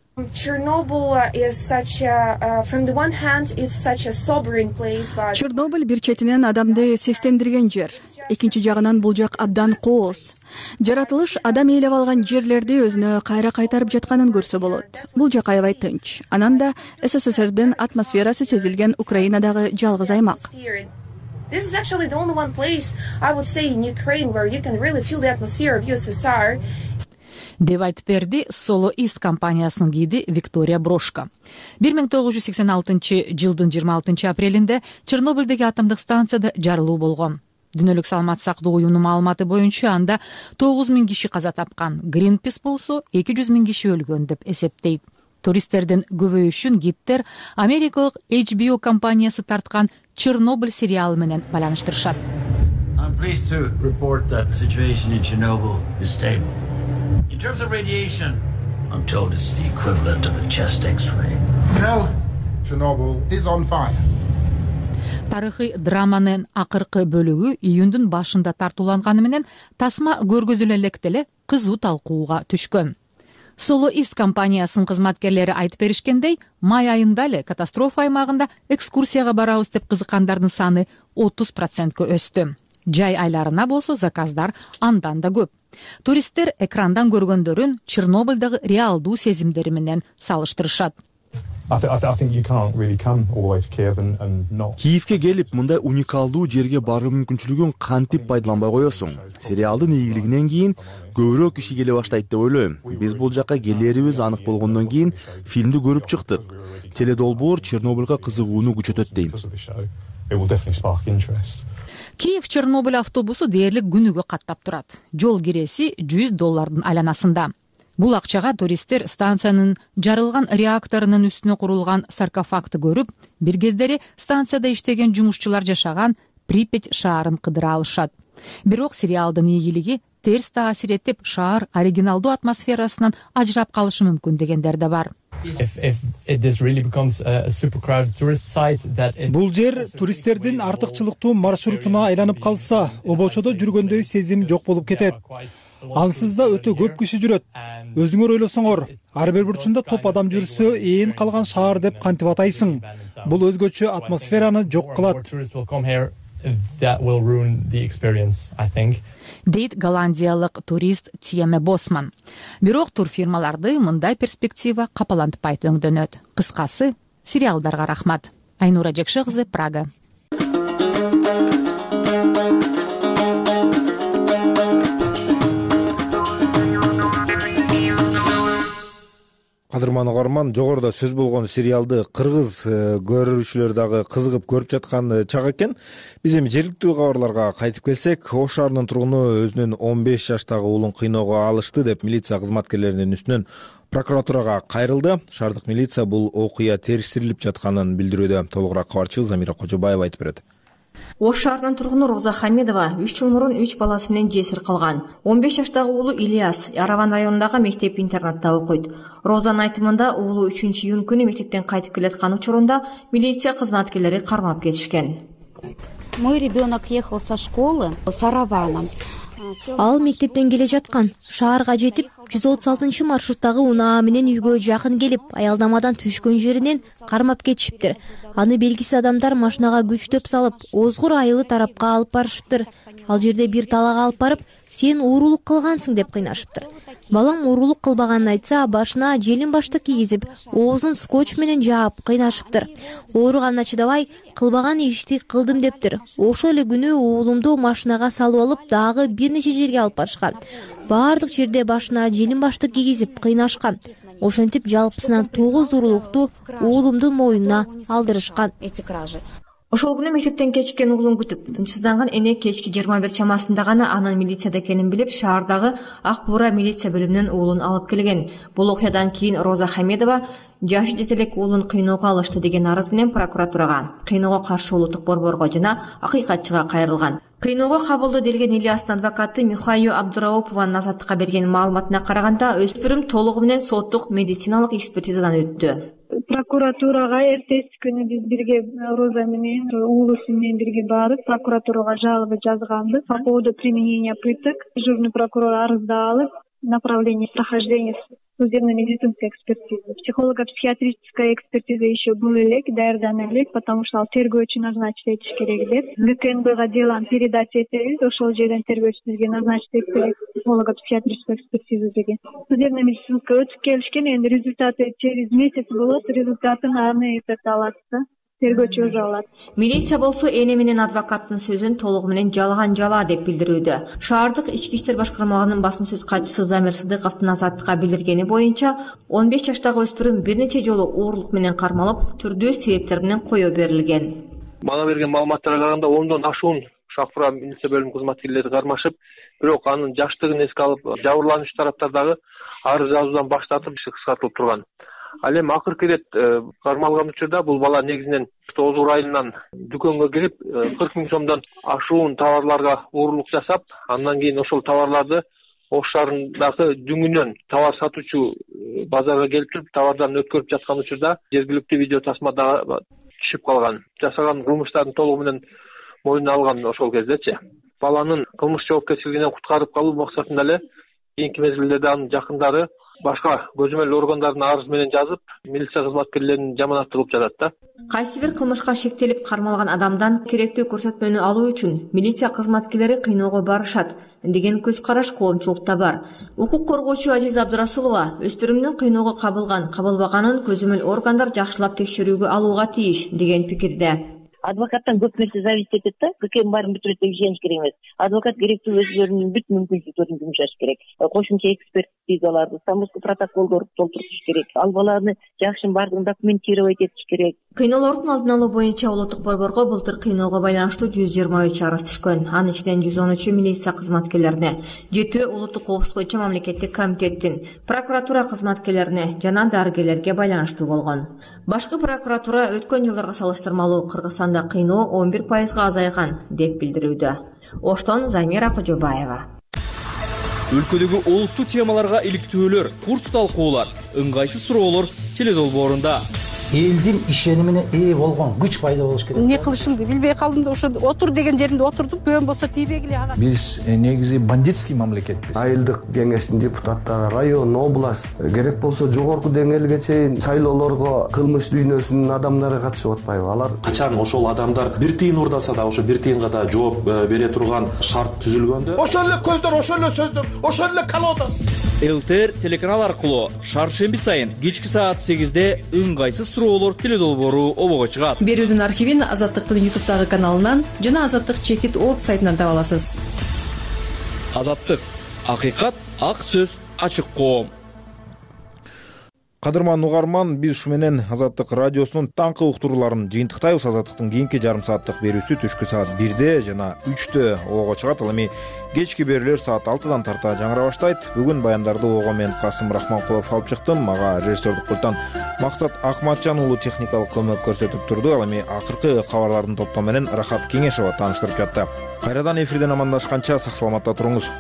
Чернобыль бир четинен адамды сестендирген жер. Экинчи жагынан бул жак абдан кооз. Жаратылыш адам ээлеп алган жерлерди өзүнө кайра кайтарып жатканын көрсө болот. Бул жак аябай тынч. Анан да СССРдин атмосферасы сезилген Украинадагы жалгыз аймак. This is actually the only one place, I would say, in Ukraine where you can really feel the atmosphere of USSR. Деп айтып берди Solo East компаниясынын гиди Виктория Брошка. 1986 жылдын 26 апрелинде Чернобыльдеги атомдук станцияда жарылуу болгон. Дүйнөлүк саламат сактоо уюмунун маалыматы боюнча анда 9000 киши каза тапкан. Greenpeace болсо 200 000 киши өлгөн деп эсептейт. Туристтердин көбөйүшүн гидтер Америкалык HBO компаниясы тарткан Чернобыль сериалы менен байланыштырышат. I'm pleased to report that the situation in Chernobyl is stable. In terms of radiation, I'm told it's the equivalent of a chest X-ray. No, Chernobyl is on fire. Тарыхый драманын акыркы бөлүгү июндун башында тартууланганы менен тасма көргөзүлө электе эле кызуу талкууга түшкөн. Solo East компаниясынын кызматкерлери айтып беришкендей, май айында эле катастрофа аймагында экскурсияга барабыз деп кызыккандардын саны 30%га өстү. Жай айларына болсо заказдар андан да көп. Туристтер экрандан көргөндөрүн Чернобыльдагы реалдуу сезимдери менен салыштырышат. Киевке келип, мындай уникалдуу жерге баруу мүмкүнчүлүгүн кантип пайдаланбай коесуң? Сериалдын ийгилигинен кийин көбүрөөк киши келе баштайт деп ойлойм. Биз бул жака келээрибиз анык болгондон кийин фильмди көрүп чыктык. Теледолбоор Чернобыльга кызыгууну күчөтөт дейм. Киев Чернобыль автобусу дээрлик күнүгө каттап турат. Жол киреси $100 айланасында. Бул акчага туристтер станциянын жарылган реакторунун үстүнө курулган саркофагты көрүп, бир кездери станцияда иштеген жумушчулар жашаган Припять шаарын кыдыра алышат. Бирок сериалдын ийгилиги терс таасир этип, шаар оригиналдуу атмосферасынан ажырап калышы мүмкүн дегендер да бар. Бул жер туристтердин артыкчылыктуу маршрутуна айланып калса, обочодо жүргөндөй сезим жок болуп кетет. Ансыз да өтө көп киши жүрөт. Өзүңөр ойлосоңор, ар бир бурчунда топ адам жүрсө, ээн калган шаар деп кантип атайсың? Бул өзгөчө атмосфераны жок кылат. Дейт голландиялык турист Тьеме Босман. Бирок турфирмаларды мындай перспектива капалантпайт өңдөнөт. Кыскасы, сериалдарга рахмат. Айнура Жекше кызы, Прага. Кадырман угарман, жогоруда сөз болгон сериалды кыргыз көрүүчүлөр дагы кызыгып көрүп жаткан чак экен. Биз эми жергиликтүү кабарларга кайтып келсек, Ош шаарынын тургуну өзүнүн 15 жаштагы уулун кыйноого алышты деп милиция кызматкерлеринин үстүнөн прокуратурага кайрылды. Шаардык милиция бул окуя териштирилип жатканын билдирүүдө. Толугураак кабарчыбыз Замира Кожобаева айтып берет. Ош шаарынын тургуну Роза Хамидова 3 жыл мурун 3 баласы менен жесир калган. 15 жаштагы уулу Ильяс Яраван районундагы мектеп-интернатта окуйт. Розанын айтымында уулу 3-июнь күнү мектептен кайтып келаткан учурунда милиция кызматкерлери кармап кетишкен. Мой ребенок ехал со школы с Араваном. Ал мектептен келе жаткан. Шаарга жетип, 136 маршруттагы унаа менен үйгө жакын келип, аялдамадан түшкөн жеринен кармап кетишиптир. Аны белгисиз адамдар машинага күчтөп салып, Озгур айылы тарапка алып барышыптыр. Ал жерде бир талага алып барып, сен уурулук кылгансың деп кыйнашыптыр. Балам уурулук кылбаганын айтса, башына желин баштык кийгизип, оозун скотч менен жаап кыйнашыптыр. Ооруганына чыдабай, кылбаган ишти кылдым дептир. Ошол эле күнү уулумду машинага салып алып, дагы бир нече жерге алып барышкан. Баардык жерде башына желин баштык кийгизип кыйнашкан. Ошентип жалпысынан 9 уурулукту уулумдун мойнуна алдырышкан. Ошол күнү мектептен кечкен уулун күтүп, тынчсызданган эне кечки 21 чамасында гана анын милицияда экенин билип, шаардагы Ак Буура милиция бөлүмүнөн уулун алып келген. Бул окуядан кийин Роза Хамидова жашы жете элек уулун кыйноого алышты деген арыз менен прокуратурага, кыйноого каршы улуттук борборго жана акыйкатчыга кайрылган. Кыйноого кабылды делген Ильястын адвокаты Михайо Абдураупованын Азаттыкка берген маалыматына караганда, өспүрүм толугу менен соттук медициналык экспертизадан өттү. Прокуратурага эртеси күнү биз бирге Роза менен уулусу менен бирге барып, прокуратурага жалоба жазганбыз по поводу применения пыток. Дежурный прокурор арызды алып, направление прохождения судебно-медицинской экспертизы. Психолого-психиатрическая экспертиза еще был элек, даярдана элек, потому что ал тергөөчү назначить этиш керек деп. ГКНБга деланы передать этебиз, ошол жерден тергөөчү бизге назначить этип керек психолого-психиатрическую экспертизу деген. Судебно-медицинская өтүп келишкен, энди результаты через месяц болот, результатын аны алат да. Тергөөчү өзү алат. Милиция болсо эне менен адвокаттын сөзүн толугу менен жалган жала деп билдирүүдө. Шаардык ички иштер башкармалыгынын басма сөз катчысы Замир Сыдыковдун Азаттыкка билдиргени боюнча, 15 жаштагы өспүрүм бир нече жолу оорлук менен кармалып, түрдүү себептер менен коюу берилген. Мага берген маалыматтарга караганда 10дон ашуун Ак Буура милиция бөлүмү кызматкерлери кармашып, бирок анын жаштыгын эске алып, жабырлануучу тараптардагы арыз жазуудан баш тартып, кыскартылып турган. Ал эми акыркы ирет кармалган учурда бул бала негизинен Озгур айылынан дүкөнгө кирип 40 000 сомдон ашуун товарларга уурулук жасап, андан кийин ошол товарларды Ош шаарындагы дүңүнөн товар сатуучу базарга келип туруп, товардан өткөрүп жаткан учурда жергиликтүү видео тасмада түшүп калган. Жасаган кылмыштарын толугу менен мойнуна алган ошол кездечи. Баланын кылмыш жоопкерчилигинен куткарып калуу максатында эле кийинки мезгилдерде анын жакындары башка көзөмөл органдардын арызы менен жазып, милиция кызматкерлерин жаманат кылып жатат да. Кайсы бир кылмышка шектелип кармалган адамдан керектүү көрсөтмөнү алуу үчүн милиция кызматкерлери кыйноого барышат деген көз караш коомчулукта бар. Укук коргоочу Азиза Абдырасулова өспүрүмдүн кыйноого кабылганын көзөмөл органдар жакшылап текшерүүгө алууга тийиш деген пикирде. Адвокаттан көп нерсе зависит этет да. Кем баарын бүтүрөт деп ишениш керек эмес. Адвокат керектүү өзлөрүнүн бүт мүмкүнчүлүктөрүн жумшаш керек. Кошумча экспертизаларды, самоско протоколдорду толтуртуш керек. Албаларны жакшы баардыгын документировать этиш керек. Кыйноолордун алдын алуу боюнча улуттук борборго былтыр кыйноого байланыштуу 123 арыз түшкөн. Анын ичинен 113 милиция кызматкерлерине, 7 улуттук коопсуздук боюнча мамлекеттик комитеттин, прокуратура кызматкерлерине жана дарыгерлерге байланыштуу болгон. Башкы прокуратура өткөн жылдарга салыштырмалуу Кыргызстанда кыйноо 11% азайган деп билдирүүдө. Оштон Замира Кожобаева. Өлкөдөгү олуттуу темаларга иликтөөлөр, курч талкуулар, ыңгайсыз суроолор теледолбоорунда. Элдин ишенимине ээ болгон күч пайда болуш керек. Эмне кылышымды билбей калдым да ошо отур деген жеримде отурдум. Көн болсо тийбегиле ага. Биз негизи бандитский мамлекетпиз. Айылдык кеңештин депутаттары, район, область, керек болсо жогорку деңгээлге чейин шайлоолорго кылмыш дүйнөсүнүн адамдары катышып атпайбы? Алар качан ошол адамдар бир тыйын урдаса да ошо бир тыйынга да жооп бере турган шарт түзүлгөндө, ошол эле көздөр, ошол эле сөздөр, ошол эле колода. ЛТР телеканал аркылуу шаршемби сайын кечки саат 8-де ыңгайсыз суроолор теледолбоору обого чыгат. Берүүдүн архивин Азаттыктын YouTube каналынан жана Азаттык чекит орг сайтынан таба аласыз. Азаттык, акыйкат, ак сөз, ачык коом. Кадырман угарман, биз ушу менен Азаттык радиосунун таңкы уктурууларын жыйынтыктайбыз. Азаттыктын кийинки жарым сааттык берүүсү түшкү саат 1-де жана 3-тө обого чыгат. Ал эми кечки берүүлөр саат 6-дан тарта жаңыра баштайт. Бүгүн баяндарды ого мен Касым Рахманкулов алып чыктым. Мага режиссердук пульттан Максат Акматжан уулу техникалык көмөк көрсөтүп турду. Ал эми акыркы кабарлардын топтому менен Рахат Кеңешова тааныштырып жатты. Кайрадан эфирден амандашканча сак саламатта туруңуз.